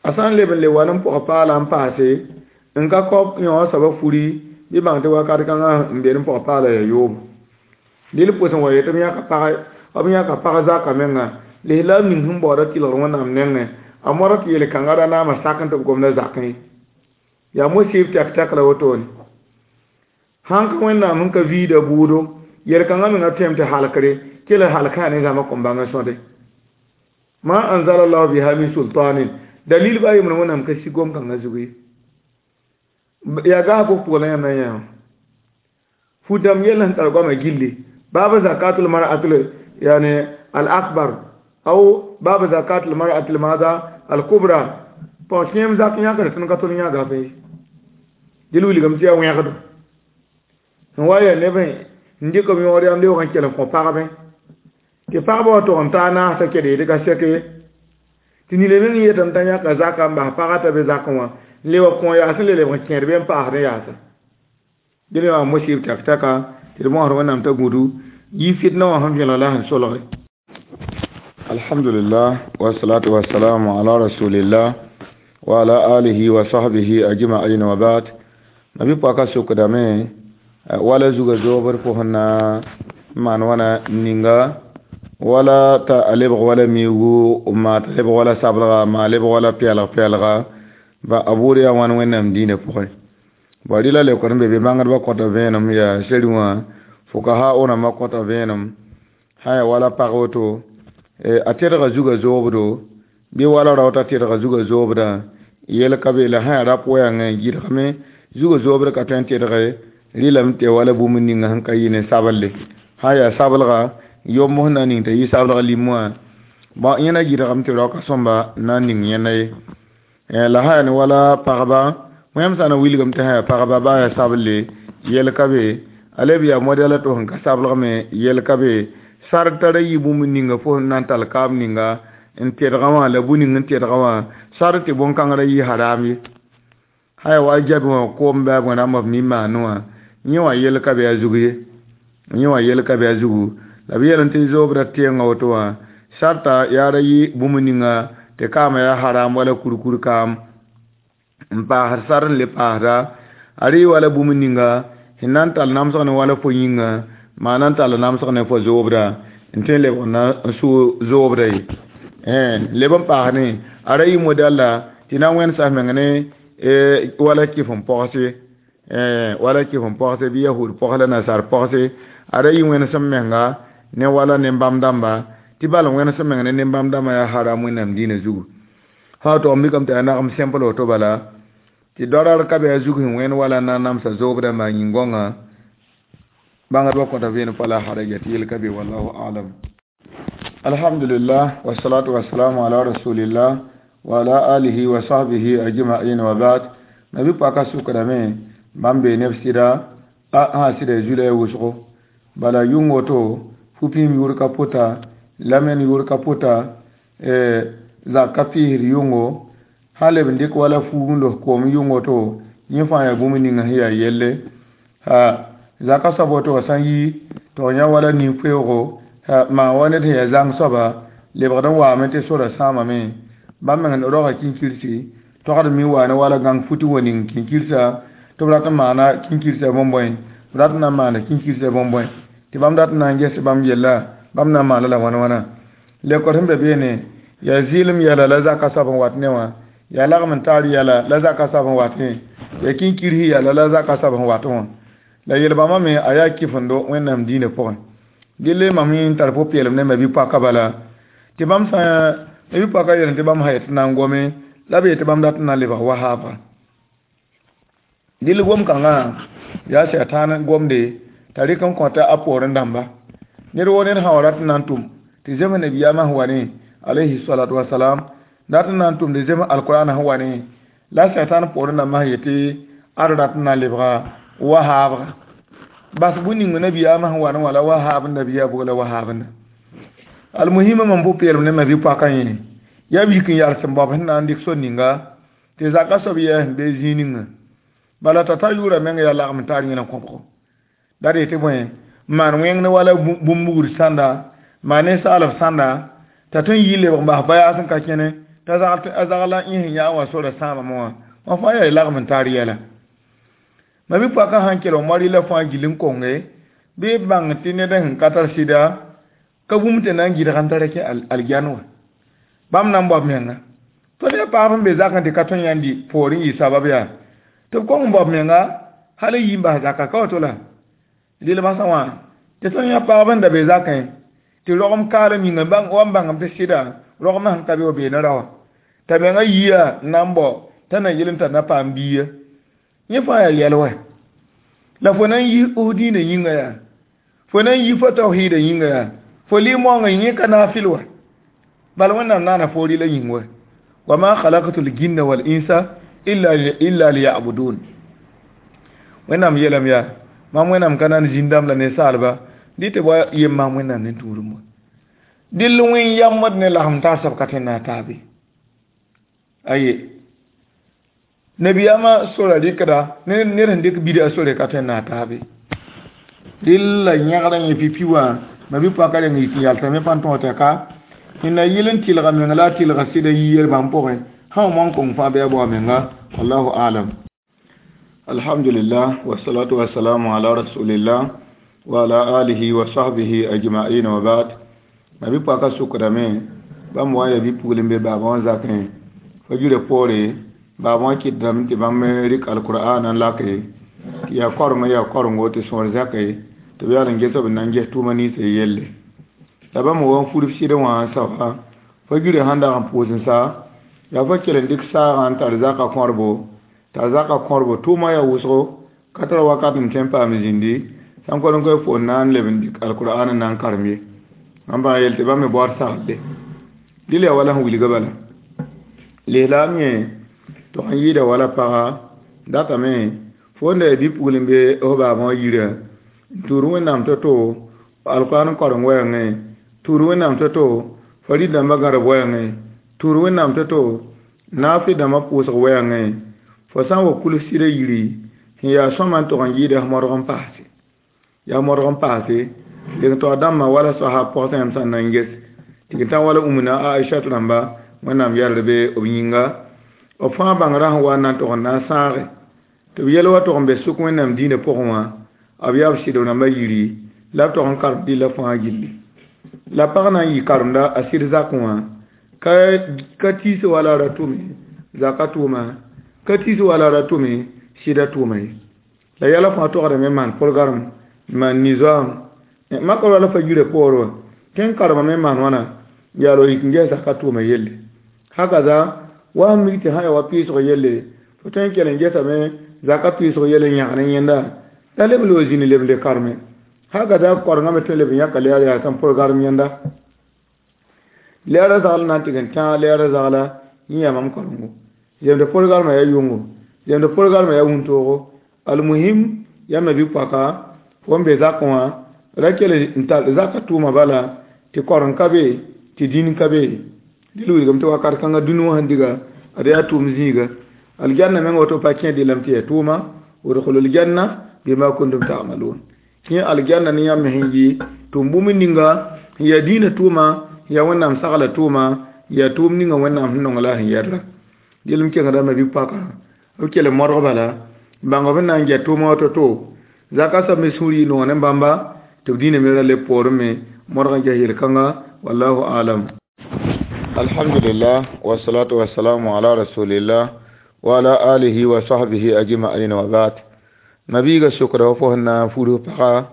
a sã n leb n le wa n pʋg paala n paase n ka kao yõ soaba furi bɩ bãng tɩ wakat kãngã n be n pʋg paala yaa yoobo dɩl pʋs n wa yetɩ b yãka pag b yãka pag zaka menga lislaam ning sẽn baooda tɩlgr Wẽnnaam nengẽ a modg tɩ yel-kãngã ra naama sak n tɩ b gomda zakẽ ye yaa mosɩb tɛk-tɛk la wotone sãn ka Wẽnnaam sẽn ka viida bʋʋdo yel-kãngã menga tõeme tɩ halkre kell halkã yaa ne zãma kõn bãng n sõde ma anzala llahu biha min sultanin dalil ba yembr Wẽnnaam ka sig gom-kãngã zug ye yaa gas bʋg pʋgã la yãmb na n yã fu-dãmb yell sẽn tar goamã gilli baaba zakatul mar'atul yani al akbar aw baaba zakatul mar'atul maada al kubra pɔg kẽem zak yãkd tõnd ka tol yã gafe ye dɩl wilgame tɩ yaa wẽgdo sẽn wa yaa neb n dɩk b yõod yam leoog n kell n kõ pagbe tɩ pagba wa tog n taa naasã kɛd yetɩ ka sɛk ye tɩ nina meng yetame t'a yãka zaka n bas pagã t'a be zakẽ wã n le wa kõ yaas n le lebg n kẽed be n paasd n yaasa dẽl wã mosɩb tɛk-tɛka tɩ d bõosd Wẽnnaam t'a gũdu yi fitna wã sẽn vẽlg la sẽn solge. Alhamdulillah wa salatu wa salamu ala rasulillah wa ala alihi wa sahbihi ajma'in wa ba'd. Mabi paka sukdame wala zuga zobr pʋsẽ na n maan wãna ninga wala t'a a lebg wala miigu maa t'a lebg wala sablga maa lebg wala pɛɛlg pɛɛlga ba a bʋʋd yaa wãn Wẽnnaam diinã pʋgẽ bõ rɩla leokd n be be bãngdbã kõta vẽenem yaa seri wã fukaha rãmbã kõta vẽenem sã yaa wala pag woto a tedga zuga zoobdo bɩ wala rao t'a tedga zuga zoobdã yel ka be la sã yaa rap wɛɛngẽ gɩdgame zuga zoobd ka tõe n tedge rɩlame tɩ wala bũmb ninga sẽn ka yɩ ne sablle sã yaa sablga yomb sẽn na n ning t'a yɩ sablg lim wã bõ yẽna gɩdgame tɩ raoka sõmba na n ning yẽnda ye la sã yaa ne wala pagba wẽm sã na wilgame tɩ sã yaa pagba baa yaa sablle yel ka be a leb yaa modɛla tɩ sẽn ka sablg me yel ka be sar tara yɩ bũmb ninga fo sẽn na n tall kaam ninga n tedgã wã la bũ ning n tedgã wã sar tɩ bõn-kãngrã yɩ haram ye sã yaa wa jabi wã koom bɩ a rãmba b mi maane wã yẽ wã yel ka be a zug ye yẽ wã yel ka be a zugu la b yeelame tɩ zoobdã tẽengã woto wã sarta yaa ra yɩ bũmb ninga tɩ kaamã yaa haram wala kurkur kaam n paasd sar n le paasda a rɩ wala bũmb ninga sẽn na n tall namsg ne wala fo yĩnga maa na n tall namsg ne fo zoobda n tõe n lebg na n sʋ zoobda ye leb n paasdẽ a ra yɩ modɛlla tɩ Tɩ na n wẽnsa f meng ne wala kɩf n pogse, wala kɩf n pogse bɩ yahud pogs la nasaar pogse. Ada yɩ wẽnesem menga ne wala ne-bãmb dãmba, tɩ bal wẽnesem meng ne ne-bãmb dãmbã yaa haram Wẽnnaam dĩinã zugu. Sã tog n mikame tɩ yaa nagem sẽmpl woto bala, tɩ doarar ka be a zug sẽn wẽnd wala n na n namsa zoobdã dãmbã yĩn-gõngã. Bãngdbã kõta vẽenem pa la haraja tɩ yel ka be, wallahu alam. Alhamdulillah, wassalatu wassalamu ala rasulillah wa ala alihi wa sahbihi ajma'in wa ba'd. Nabi paka sukdame bãmb bee neb sɩda a sã sɩda zula ya wʋsgo bala yʋng woto fu-pĩim yʋʋr ka pʋta, lamen yʋʋr ka pʋta, zak ka pɩɩsd yʋngo, sã leb n dɩk wala fuug n los koom yʋng woto, yẽ fãa yaa bũmb ninga sẽn yaa yelle. Ha zaka soab woto wã sã n yi tɩ f yã wala nin-koeoogo maan wa ned sẽn yaa zãng soaba lebgd n waame tɩ sora sãamame, bãmb meng roga kĩnkirsi togd mi wa ne wala gãng futi wa ning kĩnkirsa, tɩ b rat n maana kĩnkirsa bõn-bõe, b rat n na n maana kĩnkirsa bõn-bõe, tɩ bãmb rat n na n ges bãmb yella, bãmb na n maana la wãn wãna. Lekor sẽn be beene yaa zɩɩlem yɛla la zaka soab n wat ne wã, yaa lagm n taar yɛla la zaka soab n watẽ, yaa kĩnkirsi yɛla la zaka soab n watẽ wã. La yel-bãmbã me a yaa kɩfendo Wẽnnaam dĩinã pʋgẽ. Dɩl mam n tar pʋ-peelem ne ma-bi-poakã bala, tɩ bãmb sã ma-bi-poakã yel tɩ bãmb sã yet tɩ na n gome la b yet tɩ bãmb dat n na n lebg wahaabga. Dɩl gom-kãngã yaa sɛtãan gomde t'a rɩk n kõta a poorẽ dãmba. Ned woo ned sã wa rat n na n tʋm tɩ zems nabiyaamã sẽn wa ne alayhi salatu wasalam, rat n na n tʋm tɩ zems alkur'an sẽn wa ne la sɛtãan poorẽ dãmbã sẽn yetɩ ad rat n na n lebga wahaabga. Bas bũmb ning nabiyaamã sẽn wa ne wã la wahaab n nabiyaa bʋg la wahaab n almuhima mam pʋ-peelem ne ma bi-poakã yẽ yaa wik n yals n baob sẽn na n dɩk sor ninga tɩ zaka soab yɛɛ sẽn be zĩig ninga. Bala t'a ta yʋʋra meng yaa lagm n tar yẽna kõbgo. La d yetɩ bõe, maan wẽng ne wala bũmb-bugr sãnda, maan ninsaalb sãnda, t'a tõe n yi lebg n bas bayaas n ka kẽne, t'a zagla yẽ sẽn yã wã sora sãamame wã, wã fãa yaa lagm n tar yɛla. Ma bi-poakã sãn kell n moa la fãa gill n konge, bɩ b bãng tɩ ned sẽn ka tar sɩda ka bũmb tɩ na n gɩdg n tara kẽ algian wã. Bãmb na n bao b menga. Tõnd yaa paab n be zakẽ tɩ ka tõe n yãnd poorẽ yɩ sabab yaa tɩ b kong n bao b menga hal n yi n bas zaka ka woto la rɩl basã wã tɩ tõnd yã pagb n da be zakẽ tɩ rogem kaalem yĩnga wa n bãngame tɩ sɩda rogmã sẽn ka be wa beene ra wã t'a menga yiya n na n bao t'a na yel n tar na paam biiya. Yẽ fãa yaa yɛl wɛ la fo na n yi f dĩinã yĩnga yaa, fo na n yi fo tawhiidã yĩnga yaa, fo lɩ moongã yẽ ka naafɩl wɛ, bal Wẽnnaam naana fo rɩla yĩng wɛ. Wa ma khalaqtu l-jinna wal insa illa illa liya'budun. Wẽnnaam yeelame yaa mam Wẽnnaam ka na n zĩn-dãmb la ninsaalba dɩ tɩ wa yem maam Wẽnnaam ne tũudum wã. Dɩl wẽn yamd ne lagm tar soab ka tõe n na n taabe. Aye nabiyaamã sora rɩkda ned sẽn dɩk bida sore ka tõe n na n taabe. Dɩl la yẽgrã yẽ pipi wã ma-bi-poakã reng yik n yalsame pa n tõog t'a ka sẽn na yɩl n tɩlga meng la a tɩlga sɩda yi yel-bãmb pʋgẽ sã n moan kong fãa bɩ a bao menga, wallahu alam. Alhamdulillah, wassalatu wassalamu ala rasulillah wa ala alihi wa sahbihi ajma'in wa ba'd. Ma-bi-poakã sukdame bãmb wa n yaa bi-pugl n be baaba wã zakẽ fa yirã poore baaba wã kɩtdame tɩ bãmb rɩk alkur'an n lake tɩ yaa koreng yaa korengo tɩ sõor zãke tɩ b yaa n ges b n na n ges tʋʋma ninsã yelle. La bãmb wa n furb sɩd wã n saoa fa yirã sãn dag n pʋʋs n sa yaa fa kell n dɩk saagã n tar zaka kõrbo t'a zaka kõrbo tʋʋma yaa wʋsgo ka tara wakat n tõe n paam zĩndi sãn kod n koe fo n na n leb n dɩk alkur'an n na n karem ye. Bãmb bãng yel tɩ bãmb me baood saglle dɩl yaa wala sẽn wilga bala. Lislaam yẽ tog n yɩɩda wala paga datame fo n da yaa bi-pugl n be f baabã wã yirã n tuud Wẽnnaam to-to alkur'an koreng wɛɛngẽ, tuud Wẽnnaam to-to farid dãmbã gãrb wɛɛngẽ, tuud Wẽnnaam to-to naafɩ dãmbã pʋʋsg wɛɛngẽ, fo sã n wa kuls sɩda yiri sẽn yaa sõma n tog n yɩɩda f modg n paase. Yaa modg n paase leng taoor dãmbã wala soasab pɔgsã yãmb sã n na n ges tɩ tã wala ũmna a Aishat rãmba Wẽnnaam yɛlr be b yĩnga b fãa bãngrã sẽn wa n na n tog n na n sãage tɩ b yɛl wa tog n be sʋk Wẽnnaam dĩinã pʋgẽ wã b yaa b sɩdb rãmbã yiri la b tog n karem dɩlla fãa gilli. La pag na n yɩ karemda a sɩd zakẽ wã ka ka tiis wala ra tʋme Zaka tʋʋma ka tis wala ra tʋme sɩda tʋʋma ye la yɛla fãa togdame n maan pʋrgarem n maan nizoam makr wala fa yirã poorẽ wã tẽn karema me n maan wãna yaa la yik n ges zaka tʋʋma yelle hakaza wa n mik tɩ sã ya wa pɩɩsg yelle fo tõe n kell n gesame zaka pɩɩsg yelle n yãgd yẽnda la leb n wa zĩni leb n le karme hakaza korengã me tõe n leb n yãka leer yaa sẽn pʋrgarem yẽnda leerã zagl na n tɩg n tãag leerã zagla yẽ yaa mam karengo zemd pʋrgarmã yaa yʋngo zemd pʋrgarmã yaa wũntoogo almuhim yãmb me bɩ-poaka fo n be zakẽ wã ra kell n tar zaka tʋʋma bala tɩ koreng ka be tɩ dĩn ka be dɩl wilgame tɩ wakat kãngã dũni wã sẽn diga ad yaa tʋʋm zĩiga aljanna meng woto pa kẽ dɩlame tɩ yaa tʋʋma udkhulul janna bima kuntum ta'malun kẽ aljanna ne yãmb me sẽn yɩ tʋʋm bũmb ninga sẽn yaa dĩinã tʋʋma sẽn yaa wẽnnaam sagla tʋʋma yaa tʋʋm ninga wẽnnaam sẽn nong la sẽn yɛdra dɩl m kengdã me bɩ-poakã b kell n modg bala bãng b na n get tʋʋmã woto-to zaka soab me sũur yɩ noog ne bãmba tɩ b dĩinã me ra leb poorẽ me modg n ges yel-kãnga wallahu alam. Alhamdulillah wassalatu wassalamu ala rasulillah wa ala alihi wa sahbihi ajma'in wa ba'd. Nabiga sokda wa fo sẽn na n fudg pagã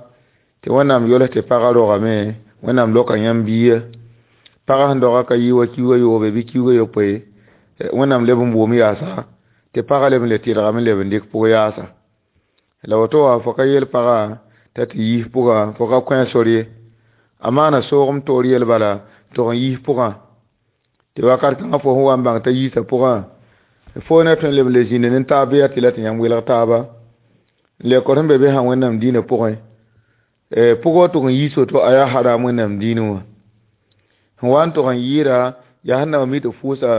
tɩ wẽnnaam yols tɩ pagã rogame wẽnnaam loka yãmb biiya pagã sẽn doga ka yɩ wa kiuga yoobe bɩ kiuga yopoe wẽnnaam leb n boom yaasa tɩ pagã leb n le tɩrgame n leb n dɩk pʋg yaasa la woto wa fo ka yel pagã t'a tɩ yiis pʋga fo ka kõ a sor ye a maana soogem toor yel bala tɩg n yiis pʋgã tɩ wakat kãngã fo sẽn wa n bãng t'a yiisa pʋgã fo na tõe n leb n le zĩnd ne taab bɩ yaa tɩ la tɩ yãmb welg taaba n le kõ sẽn be be sã wẽnnaam dĩinã pʋgẽ pʋgã tʋg n yiis woto a yaa haram wẽnnaam dĩinẽ wã sẽn wa n tʋg n yɩɩda yaa sẽn na wa mi tɩ fʋʋsa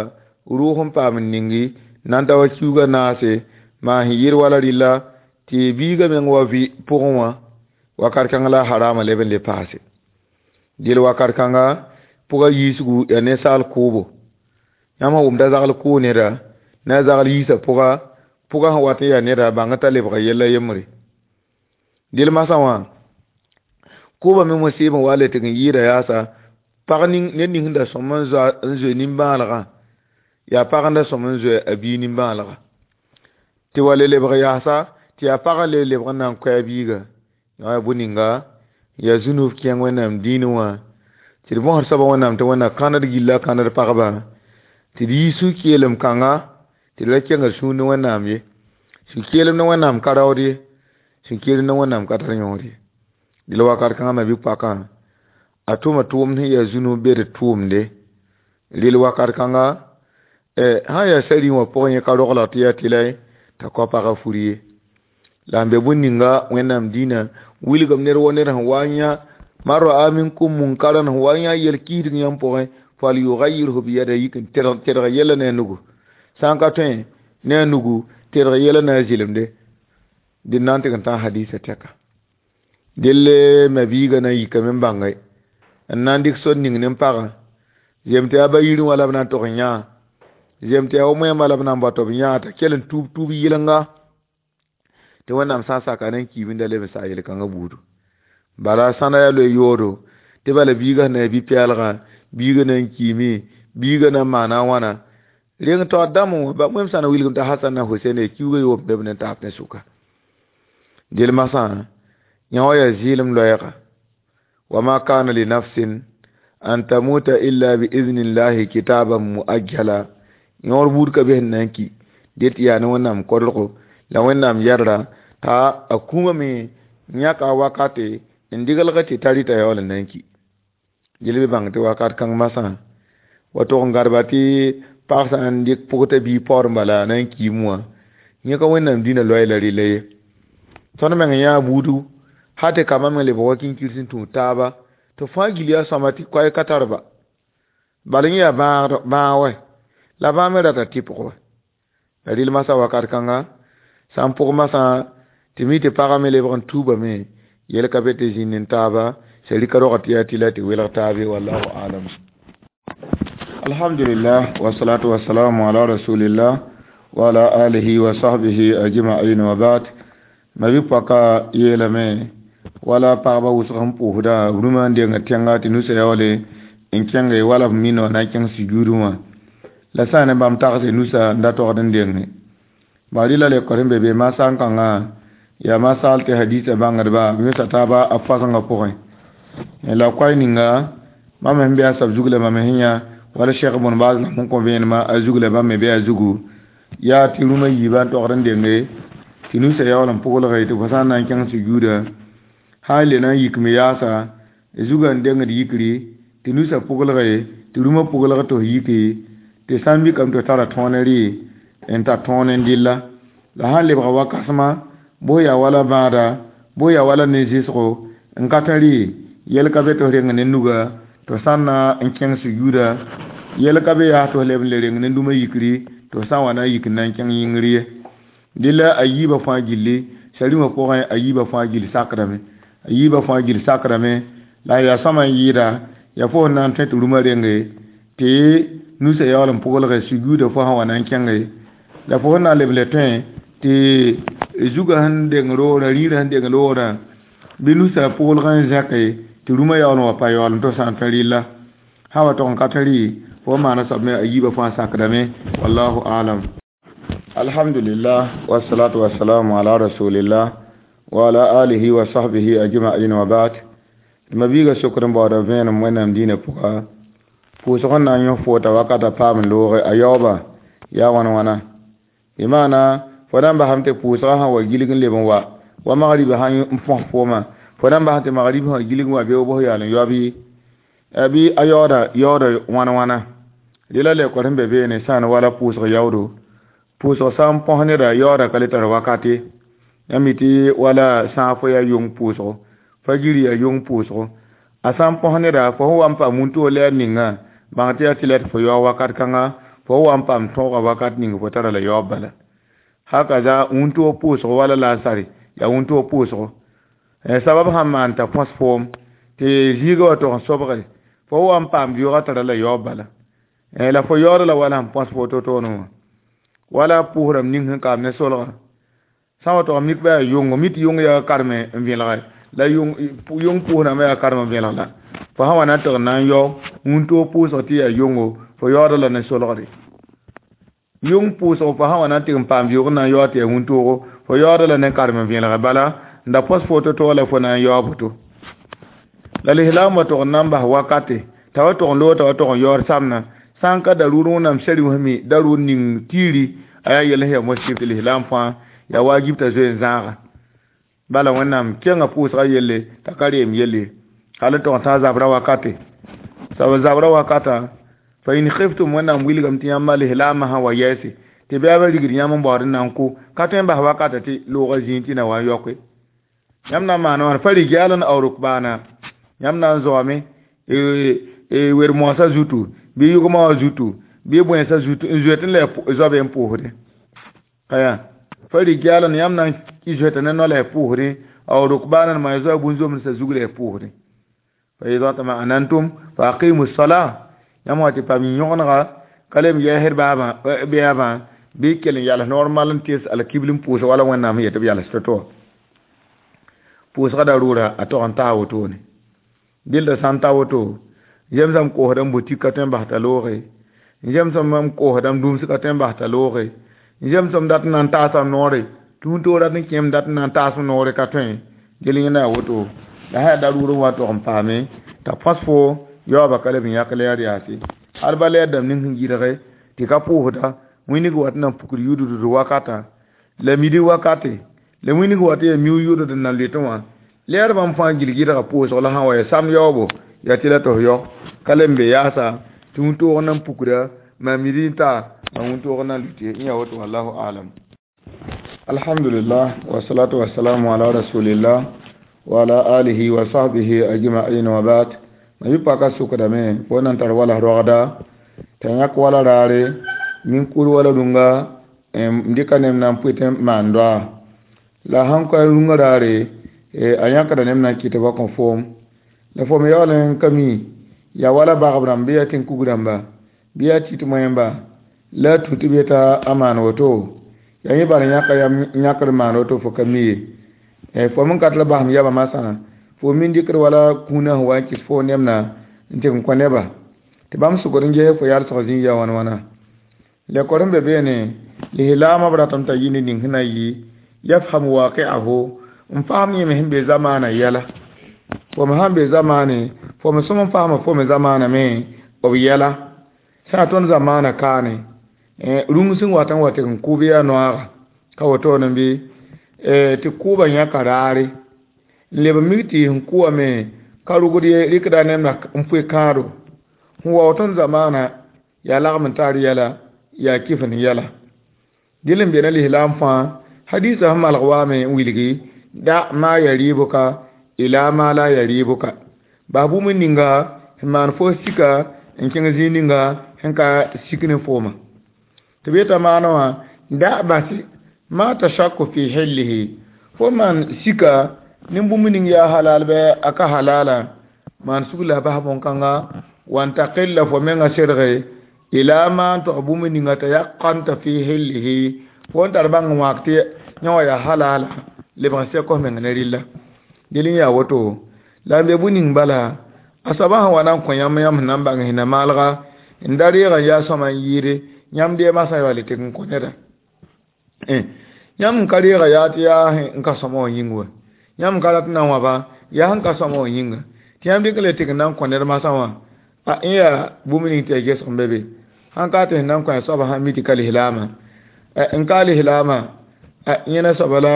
rʋʋg n paam n ningi nan ta wa kiuga naase maa sẽn yɩɩd wala rɩlla tɩ biigã meng wa vɩ pʋgẽ wã wakat kãng la harama leb n le paase dɩl wakat kãnga pʋgã yiisgu yaa ninsaal kʋʋbo yãmb sẽn wʋmda zagl kʋʋ neda na a zagl yiisã pʋga pʋgã sẽn wat n yaa neda bãng t'a lebga yella yembre dɩl masã wã kʋʋbã me mosɩɩb n wa le tɩg n yɩɩda yaasa pag ned ning sẽn da sõm n zoe nimbãanegã yaa pag n da sõm n zoe a biig nimbãanega tɩ wa le lebg yaasa tɩ yaa pag n le lebg n na n koɛ a biiga yaa bũ-ninga yaa zũnub kẽng wẽnnaam dĩinẽ wã tɩ d bõsd soabã wẽnnaam tɩ wẽnna kãned gilla kãned pagba tɩ d yi sũ-keelem kãnga tɩ d ra kenga sũur ne wẽnnaam ye sũ-keelem ne wẽnnaam ka raood ye sũ-keelem ne wẽnnaam ka tar yõod ye dɩl wakat kãngã ma bɩ-poakã a tʋma tʋʋmd sẽn yaa zũnub be d tʋʋmde rɩl wakat kãnga sã yaa sari wã pʋgẽ yẽ ka roglg tɩ yaa tɩlɛ t'a kao pagã fur ye la n be bũn-ninga wẽnnaam dĩinã wilgem ned wa ned sẽn wa n yã man ra'a minkum munkaran sẽn wa n yã yel-kiisg yãmb pʋgẽ falyughayyirhu biyadihi yik n tedg yɛla ne a nugu sã n ka tõe ne a nugu tedg yɛla ne a zɩlemde dɩ na n tɩg n tãag hadiisã tɛka dell ma biigã na n yikame n bãnge n na n dɩk sor ning ne pagã zem tɩ yaa ba yirẽ wã la b na n tog n yã zem tɩ yaa wa moẽmã la b na n bao tɩ b yã t'a kell n tuub tuub yɩlenga tɩ wẽnnaam sã n saka na n kiibinda leb n saa yel-kãngã buudu bala sãnda yaa loe yoodo tɩ bala biigã sẽn na yaa bi-pɛɛlgã biigã na n kiime biigã na n maana a wãna reng taoor dãmb wã wẽm sã na wilgem t'a Hasan na Husen yaa kiuga yoob be b ne taab ne sʋka del masã yã wã yaa zɩɩlem loɛɛga wama kana li nafsin an tamuta illa biiznillahi kitaban muajjala yõor buud ka be sẽn na n ki det yaa ne wẽnnaam kodgo la wẽnnaam yɛdra t'a a kũumã me yãka wakate n diglg tɩ ta rɩta yaool n na n ki gel bɩ bãng tɩ wakat kãng masã wa tʋg n gãdba tɩ pag sã n dɩk pʋgta bii paood n bala na n kiim wã yẽ ka wẽnnaam dĩnã loɛɛ la rɩla ye tõnd meng yãa buudu hal tɩ kambã meng lebg wa kĩnkir sẽn tũud taaba tɩ fãa gil yaa sõama tɩ koɛɛg ka tar ba bal yẽ yaa bãag wɛ la bãag me rata tɩpg wɛ la rɩl masã wakat kãnga sã n pʋg masã tɩ mi tɩ pagã me lebg n tuubame yel ka be tɩ zĩnd n taaba sari ka rog tɩ yaa tɩ la tɩ welg taabe wallahu alam. Alhamdulillah wassalatu wassalamu ala rasulillah wa ala alihi wa sahbihi ajma'in wa ba'd. Ma bɩ poaka yeelame wala pagba wʋsg sẽn pʋʋsda rũmã n denga tẽnga tɩ nusa yaoole n kẽnge wala b mino na n kẽng sujuudẽ wã La sã n ne bãmb tagse nusa n da togd n denge bari la le kɔr n be be masã n kãngã yaa masal tɩ hadisa bãngdba b yõsa taaba a fasẽngã pʋgẽ la koay ninga bãmb sẽn be a soab zug la mam sẽn yã wala Cheikh Ibn Baz la sẽn kõ vẽenemã a zug la bãmb me be a zugu yaa tɩ rũmã yiibã n togd n denge tɩ nusa yaool n pʋglge tɩ fo sã n na n kẽng sujuuda sã n le na n yik me yaasa zugã n dengd yikri tɩ nusa pʋglge tɩ rũmã pʋglg tɩ f yiki tɩ sã n mikame tɩ f tara tõone rɩ n tar tõon n dɩlla la sã n lebga wa-kãsema bʋs yaa wala bãada bʋs yaa wala ne zɩsgo n ka tẽ rɩ yɛl ka be tɩ f reng ne nuga tɩ f sã n na n kẽng sujuuda yɛl ka be yaa tɩ f leb n le reng ne dũmã yikri tɩ f sã n wa na n yik n na n kẽng yĩngr ye dɩlla a yiibã fãa gilli sarĩmã pʋgẽ a yiibã fãa gill sakdame a yiibã fãa gill sakdame la yaa sõma n yɩɩda yaa fo sẽn na n tõe tɩ rũmã renge tɩ nusa yaool n pʋglge sujuuda fo sã wa na n kẽnge la fo sẽn na n leb n le tõe tɩ zugã sẽn deng roorã rĩirã sẽn deng loorã bɩ nusa pʋglg n zẽke tɩ rũmã yaool n wa pa yaool n tɩ f sã n tõe rɩlla sã wa tog n ka tõe rɩ fo maana soab me a yiibã fãa sakdame wallahu alam. Alhamdulillah wassalatu wassalamu ala rasulillah wa ala alihi wa sahbihi ajma'in wa ba'd. Ma biiga sokd n baooda vẽenem wẽnnaam dĩinã pʋga pʋʋsg n na n yõ foota wakata paam n looge a yaooba yaa wãn wãna bɩ maana fo na n basame tɩ pʋʋsgã sã wa gilg n leb n wa wa magribã sã n põs foomã fo na n basame tɩ magrib sã gilg n wa beoog bʋs yaal n yaob yɩ bɩ a yaooda yaooda wãn wãna rela le kɔr sẽn be beene sã n wala pʋʋsg yaoodo pʋʋsg sã n põs neda yaooda ka le tar wakate yãmb mi tɩ wala sãag fo yaa yong pʋʋsgo fajiri yaa yong pʋʋsgo a sã n põs neda fo sẽn wa n paam wũntoog lɛɛr ninga bãng tɩ yaa tɩ la tɩ fo yaoog wakat kãnga fo sẽn wa n paam tõoga wakat ning fo tara la yaoob bala hakaza wũntoog pʋʋsgo wala laasare yaa wũntoog pʋʋsgo sabab sãn maan t'a põs foom tɩ zĩiga wa tog n sobge fo sẽn wa n paam vɩʋʋga tara la yaoob bala la fo yaooda la wala sẽn põs fo to-toonẽ wã wala pʋʋsrãmb ning sẽn kaam ne solga sã wa tog n mik bɩ yaa yʋngo mi tɩ yʋng yaa karme n vẽlge la yʋng pʋʋsrãmbã yaa karem n vẽlg la fo sã wa na n tɩg n na n yao wũntoog pʋʋsg tɩ yaa yʋngo fo yaooda la ne solgre yʋng pʋʋsg fo sã wa na n tɩg n paam vɩʋʋg n na n yaoog tɩ yaa wũntoogo fo yaooda la ne karem n vẽlge bala n da põs fo to-to la fo na n yaoog boto la lislaam wa tog n na n bas wakate t'a wa tog n loog t'a wa tog n yaood samna sã n ka daruur wẽnnaam sari wã me daruur ning tiiri a yaa yɛl sẽn yaa mosɩ tɩ lislaam fãa yaa wajib t'a zoe n zãaga bala wẽnnaam kẽngã pʋʋsgã yelle t'a ka reem yelle hal n tog n tã zabra wakate sab zabra wakata fa in khiftum wẽnnaam wilgame tɩ yãmba lislaamã sã wa yɛɛse tɩ bɩ rigd yãmb n baood n na n kʋ ka tõe n bas wakata tɩ loogã zĩig tɩ na wa n yaoke yãmb na n maana wãna fa rijalan aw rukbana yãmb na n zoame wer-moasã zutu bɩ yʋgmã wã zutu bɩ bõensã zutu n zoet n la zoabe n pʋʋsdẽ ka yaa fa rijalan yãmb na n zoeta ne no la y pʋʋsdẽ aw rukbanan ma zoa bũn-zomdsã zug la y pʋʋsdẽ fa ida tma'anantum fa aqimu sala yãmb wa tɩ paam yõgenega ka lem yɛɛsd baabã bɩabã bɩ kell n yals normal n tes alkibl n pʋʋsg wala wẽnnaam sẽn yet b yals to-to pʋʋsga daruura a tog n taa wotone dɩlda sã n ta woto zemsam koosda n butik ka tõe n bas t'a looge zemsam n koosda n dũms ka tõe n bas t'a looge zemsam dat n na n taasam noore tɩ wũntoog rat n kẽem dat n na n taas noore ka tõe gel yẽnda yaa woto la sã yaa daruur n wa tog n paame t'a põs fo yaoobã ka leb n yãk lɛɛr yaase hal ba lɛɛr dãmb ning sẽn yɩlge tɩ ka pʋʋsda wĩnig wat n na n pukd yʋʋddd wakatã la midi wakate la wĩnig wat yaa miu yʋʋdd n na n loetẽ wã lɛɛr bãmb fãa gilg yɩlga pʋʋsg la sã n wa ya sam yaoobo yaa tɩ la tɩ f yao ka le n be yaasa tɩ wũntoog na n pukda maa midi n taa maa wũntoog na n lʋɩte n yaa woto wallahu alam. Alhamdulillah wassalatu wassalamu ala rasulillah wa ala alihi wa sahbihi ajma'in wa ba'd. Ma yɩ paka sʋkdame fo na n tar wala rogda t'a yãk wala raare min-kur wala rũnga n dɩka neb na n pʋɩ tɩ maan doaa la sãn ka rũngã raare a yãkda neb na n kɩt ba kõ foom la fo me yaool n ka mi yaa wala bagb rãmb bɩ yaa tẽn-kug rãmba bɩ yaa tit moẽmba la a tu tɩ b yeta a maan woto yaa yẽ bala yãka yãkd maan woto fo ka mi ye fo me n ka tɩ la basem yaba masã fo min dɩkd wala kũunã sẽn wa n kɩs fo nemna n tɩg n kõ neba tɩ bãmb sʋgd n ges fo yalsg zĩig yaa wãn wãna Le kor be bene lihlama bratam ta yini ning hina yi yafhamu waqi'ahu n faham yẽme sẽn be zamaana yɛla fo me sãn be zamaane fo me sõm n faama fo me zamaana me b yɛla sã yaa tõnd zamaana kaane rũng sẽn wat n wa tɩ n kʋʋb yaa noaaga ka wotone bɩ tɩ kʋʋba yãka raare n leb n mik tɩ sẽn kʋ wame ka rugd ye rɩkda nemda n pʋɩ kãado sẽn wa tõnd zamaana yaa lagm n tar yɛla yaa kɩf n yɛla dɩl n bena lislaam fãa hadisa sẽn malg waame n wilgi da ma yaribuka ila ma la yaribuka bas bũmb ninga sẽn maan fo sika n kẽng zĩig ninga sẽn ka sik ne fooma tɩ b yeta maana wã da base ma tashakku fi hillihi fo maan sika ne bũmb ning yaa halal bɩ a ka halala maan sug la bas bõn-kãnga wan taqilla fo menga serge ila ma n tog bũmb ninga t'a yaqanta fi hillihi fo n tar bãng n wãk tɩ yã wã yaa halala lebg n sɛk f meng ne rɩlla del n yaa woto la n be bũ ning bala a soaba sẽn wa na n kõ yãmb yãmb sẽn na n bãng sẽn maalga n da reeg n yaa sõma n yɩɩde yãmb deemã sã yaool tɩ n kõ neda yãmb n ka reega yaa tɩ yaa n ka sõma wã yĩng wa yãmb n ka rat n na n wãba yaa sẽn ka sõma wã yĩnga tɩ yãmb dɩk n le tɩ n na n kõ ned masã wã a n yaa bũmb ning tɩ ya gesg n be be sãn ka tɩ sẽn na n kõ a soaba sãn mi tɩ ka lislaamã n ka lislaamã yẽna soaba la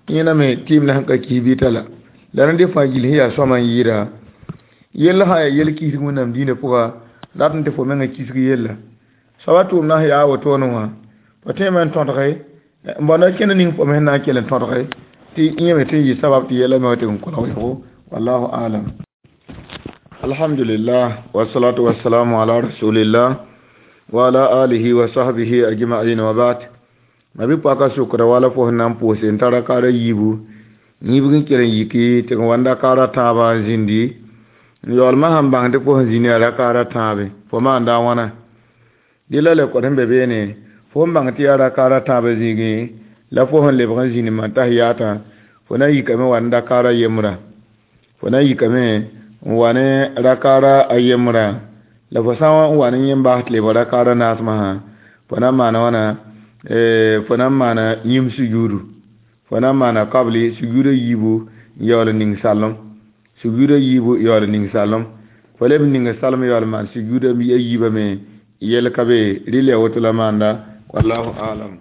yẽna me tɩɩm la sẽn ka kis bɩ t'a la la rẽnd fãa gill sẽn yaa sõma n yɩɩda yell sã yaa yel kisg wẽnnaam dĩinã pʋga rat n tɩ fo menga kisg yella soaba tʋʋmdã sẽn yaa wotone wã fo tõeme n tõdge n bõnda kẽnd ning fo me sẽn na n kell n tõdge tɩ yẽ me tɩ n yɩ sabab tɩ yɛla me wa tɩ n kolg yʋgo wallahu alam. Alhamdulillah wassalatu wassalamu ala rasulillah wa ala alihi wa sahbihi ajma'in wa ba'd. Ma bi paka sukra wala fo sẽn na n pʋʋse n tara kaara yiibu yĩbg n kell n yiki tɩ n wa n da kaara tãabã n zĩndi n yaoolmã sãn bãng tɩ fo sẽn zĩnd yaa rakaara tãabe fo maanda a wãna dɩla le kod sẽn be beene fo n bãng tɩ yaa rakaara tãabã zĩigẽ la fo sẽn lebg n zĩnd n tas yaatã fo na n yikame wa n da kaara yembrã fo na n yikame n wa ne rakaara a yembrã la fo sã n wa ne yẽm baas tɩ lebg rakaara naasmã sã fo na n maana wãna fo na n maana yĩm sujuudu fo na n maana kabli sujuudã yiibu n yaool n ning salem sujuudã yiibu yaool n ning salem fo leb n ning salem yaool n maan sujuudã a yiibã me yɛl ka be rɩl ya woto la maanda wallahu alam.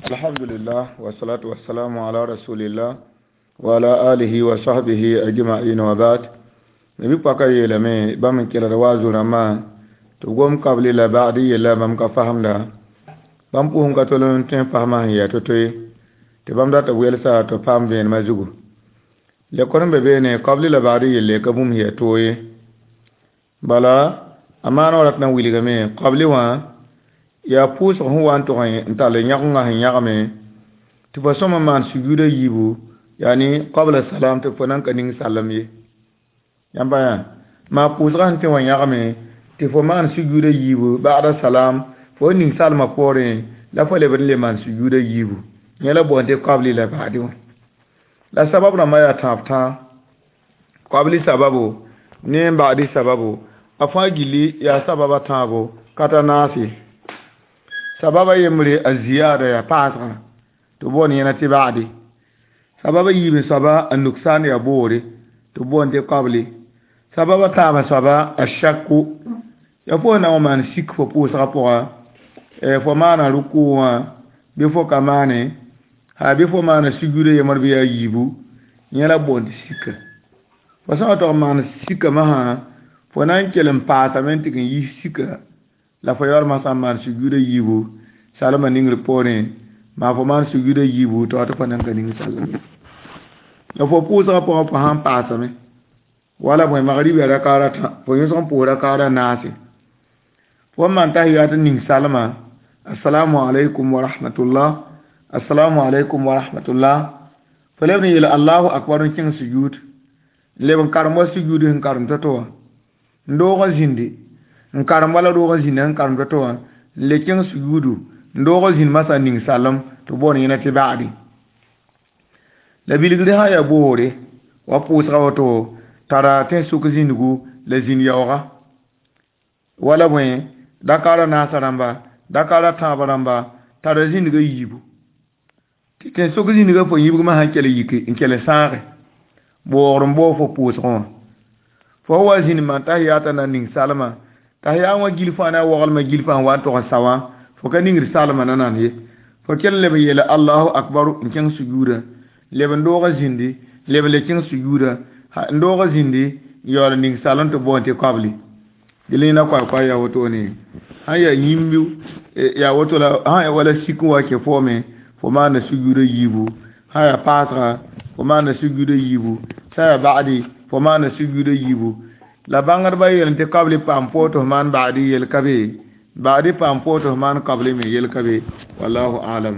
Alhamdulillah wassalatu wassalamu ala rasulillah wa ala alihi wa sahbihi ajma'in wa ba'd. Me bi paka yeelame bãmb n kelgd wa zu-rãmbã tɩ b gom kabli la ba'd yella bãmb ka fasemda bãmb pʋsẽ ka tol n tõe n fasmã sẽn yaa to-to ye tɩ bãmb dat b welsa tɩ b paam vẽenemã zugu le kor n be beene kabli la ba'd yelle ka bũmb sẽn yaa toog ye bala a maana wa rat na n wilgame kabli wã yaa pʋʋsg sẽn wa n tʋg n tall yãgenga sẽn yãgame tɩ fo sõm n maan sujuudã yiibu yaani qabla salam tɩ fo nan ka ning salem ye yãmba yã maa pʋʋsgã sẽn tẽ wã yãgame tɩ fo maan sujuudã yiibu ba'da salam fo ning salmã poorẽ la fo leb n le maan sujuudã yiibu yẽ la boond tɩ kabli la ba'di wã la sabab rãmbã yaa tãab tãa kabli sababu ne n ba'di sababu a fãa gilli yaa sababa tãabo ka ta naase sababa yembre a ziyada yaa paasgã tɩ boond yẽna tɩ ba'di sababa yiib soaba a nuksan yaa boore tɩ boond tɩ kabli sababa tãabã soaba a shakku ya fo na n maan sik fo pʋʋsgã pʋga fo maana rʋkʋ wã bɩ fo ka maane ha bɩ fo maana sujuudã yembr bɩ yaa yiibu yẽ la boond tɩ sika fo sã n wa tog n maan sika masã fo na n kell n paasame n tɩ n yis sika la fo yaool masã n maan sujuudã yiibu salmã ningr poorẽ maa fo maan sujuudã yiibu tɩ wa tɩ fo nan ka ning salem ye la fo pʋʋsgã pʋgã fo sãn paasame wala bõe magrib yaa rakaara tã fo yõsg n pʋʋs rakaara naase fo n maan tahiyat n ning salmã assalamu alaikum wa rahmatullah assalamu alaikum wa rahmatullah fo leb n yeel allahu akbar n kẽng sujuud n leb n karem wa sujuud sẽn karem to-to wã n doog n zĩndi n karem wala roog n zĩnd sẽn karem to-to wã n le kẽng sujuudu n doog n zĩnd masã n ning salem tɩ boond yẽna tɩ ba'di la bilgr sã yaa boore wa pʋʋsga woto tara tẽ sʋk zĩndgu la zĩnd yaooga wala bõe Dakar a naasã rãmba, dakar a tãab rãmba, tara zĩnigã yiibu. Tɩ tẽn-sʋk zĩnigã fo yĩbgmã sãn kell yiki n kell sãage, boogr n bao fo pʋʋsgẽ wã. Fo wa zĩnd maan tahiyata na ning salma, tahiya wã gil fãa na waglmã gil fãa wa n tog n sa wã, fo ka ningd salma nanam ye. Fo kell n leb n yeela Allahu akbaru n kẽng sujuudã, leb n doog n zĩndi, leb n le kẽng sujuudã, n doog n zĩndi, n yaool n ning salem tɩ boond tɩ kabli. Dẽla yẽna koay-koay yaa wotone. Sãn yaa yĩmb yaa woto la sãn yaa wala sik n wa kẽ foome, fo maanda sujuudã yiibu. Sãn yaa paasga, fo maanda sujuudã yiibu. Sã yaa ba'di, fo maanda sujuudã yiibu. La bãngdbã yeel tɩ kabli paam poor tɩ f maan ba'di yel ka be, ba'di paam poor tɩ f maan kabli me yel ka be. Wallahu alam.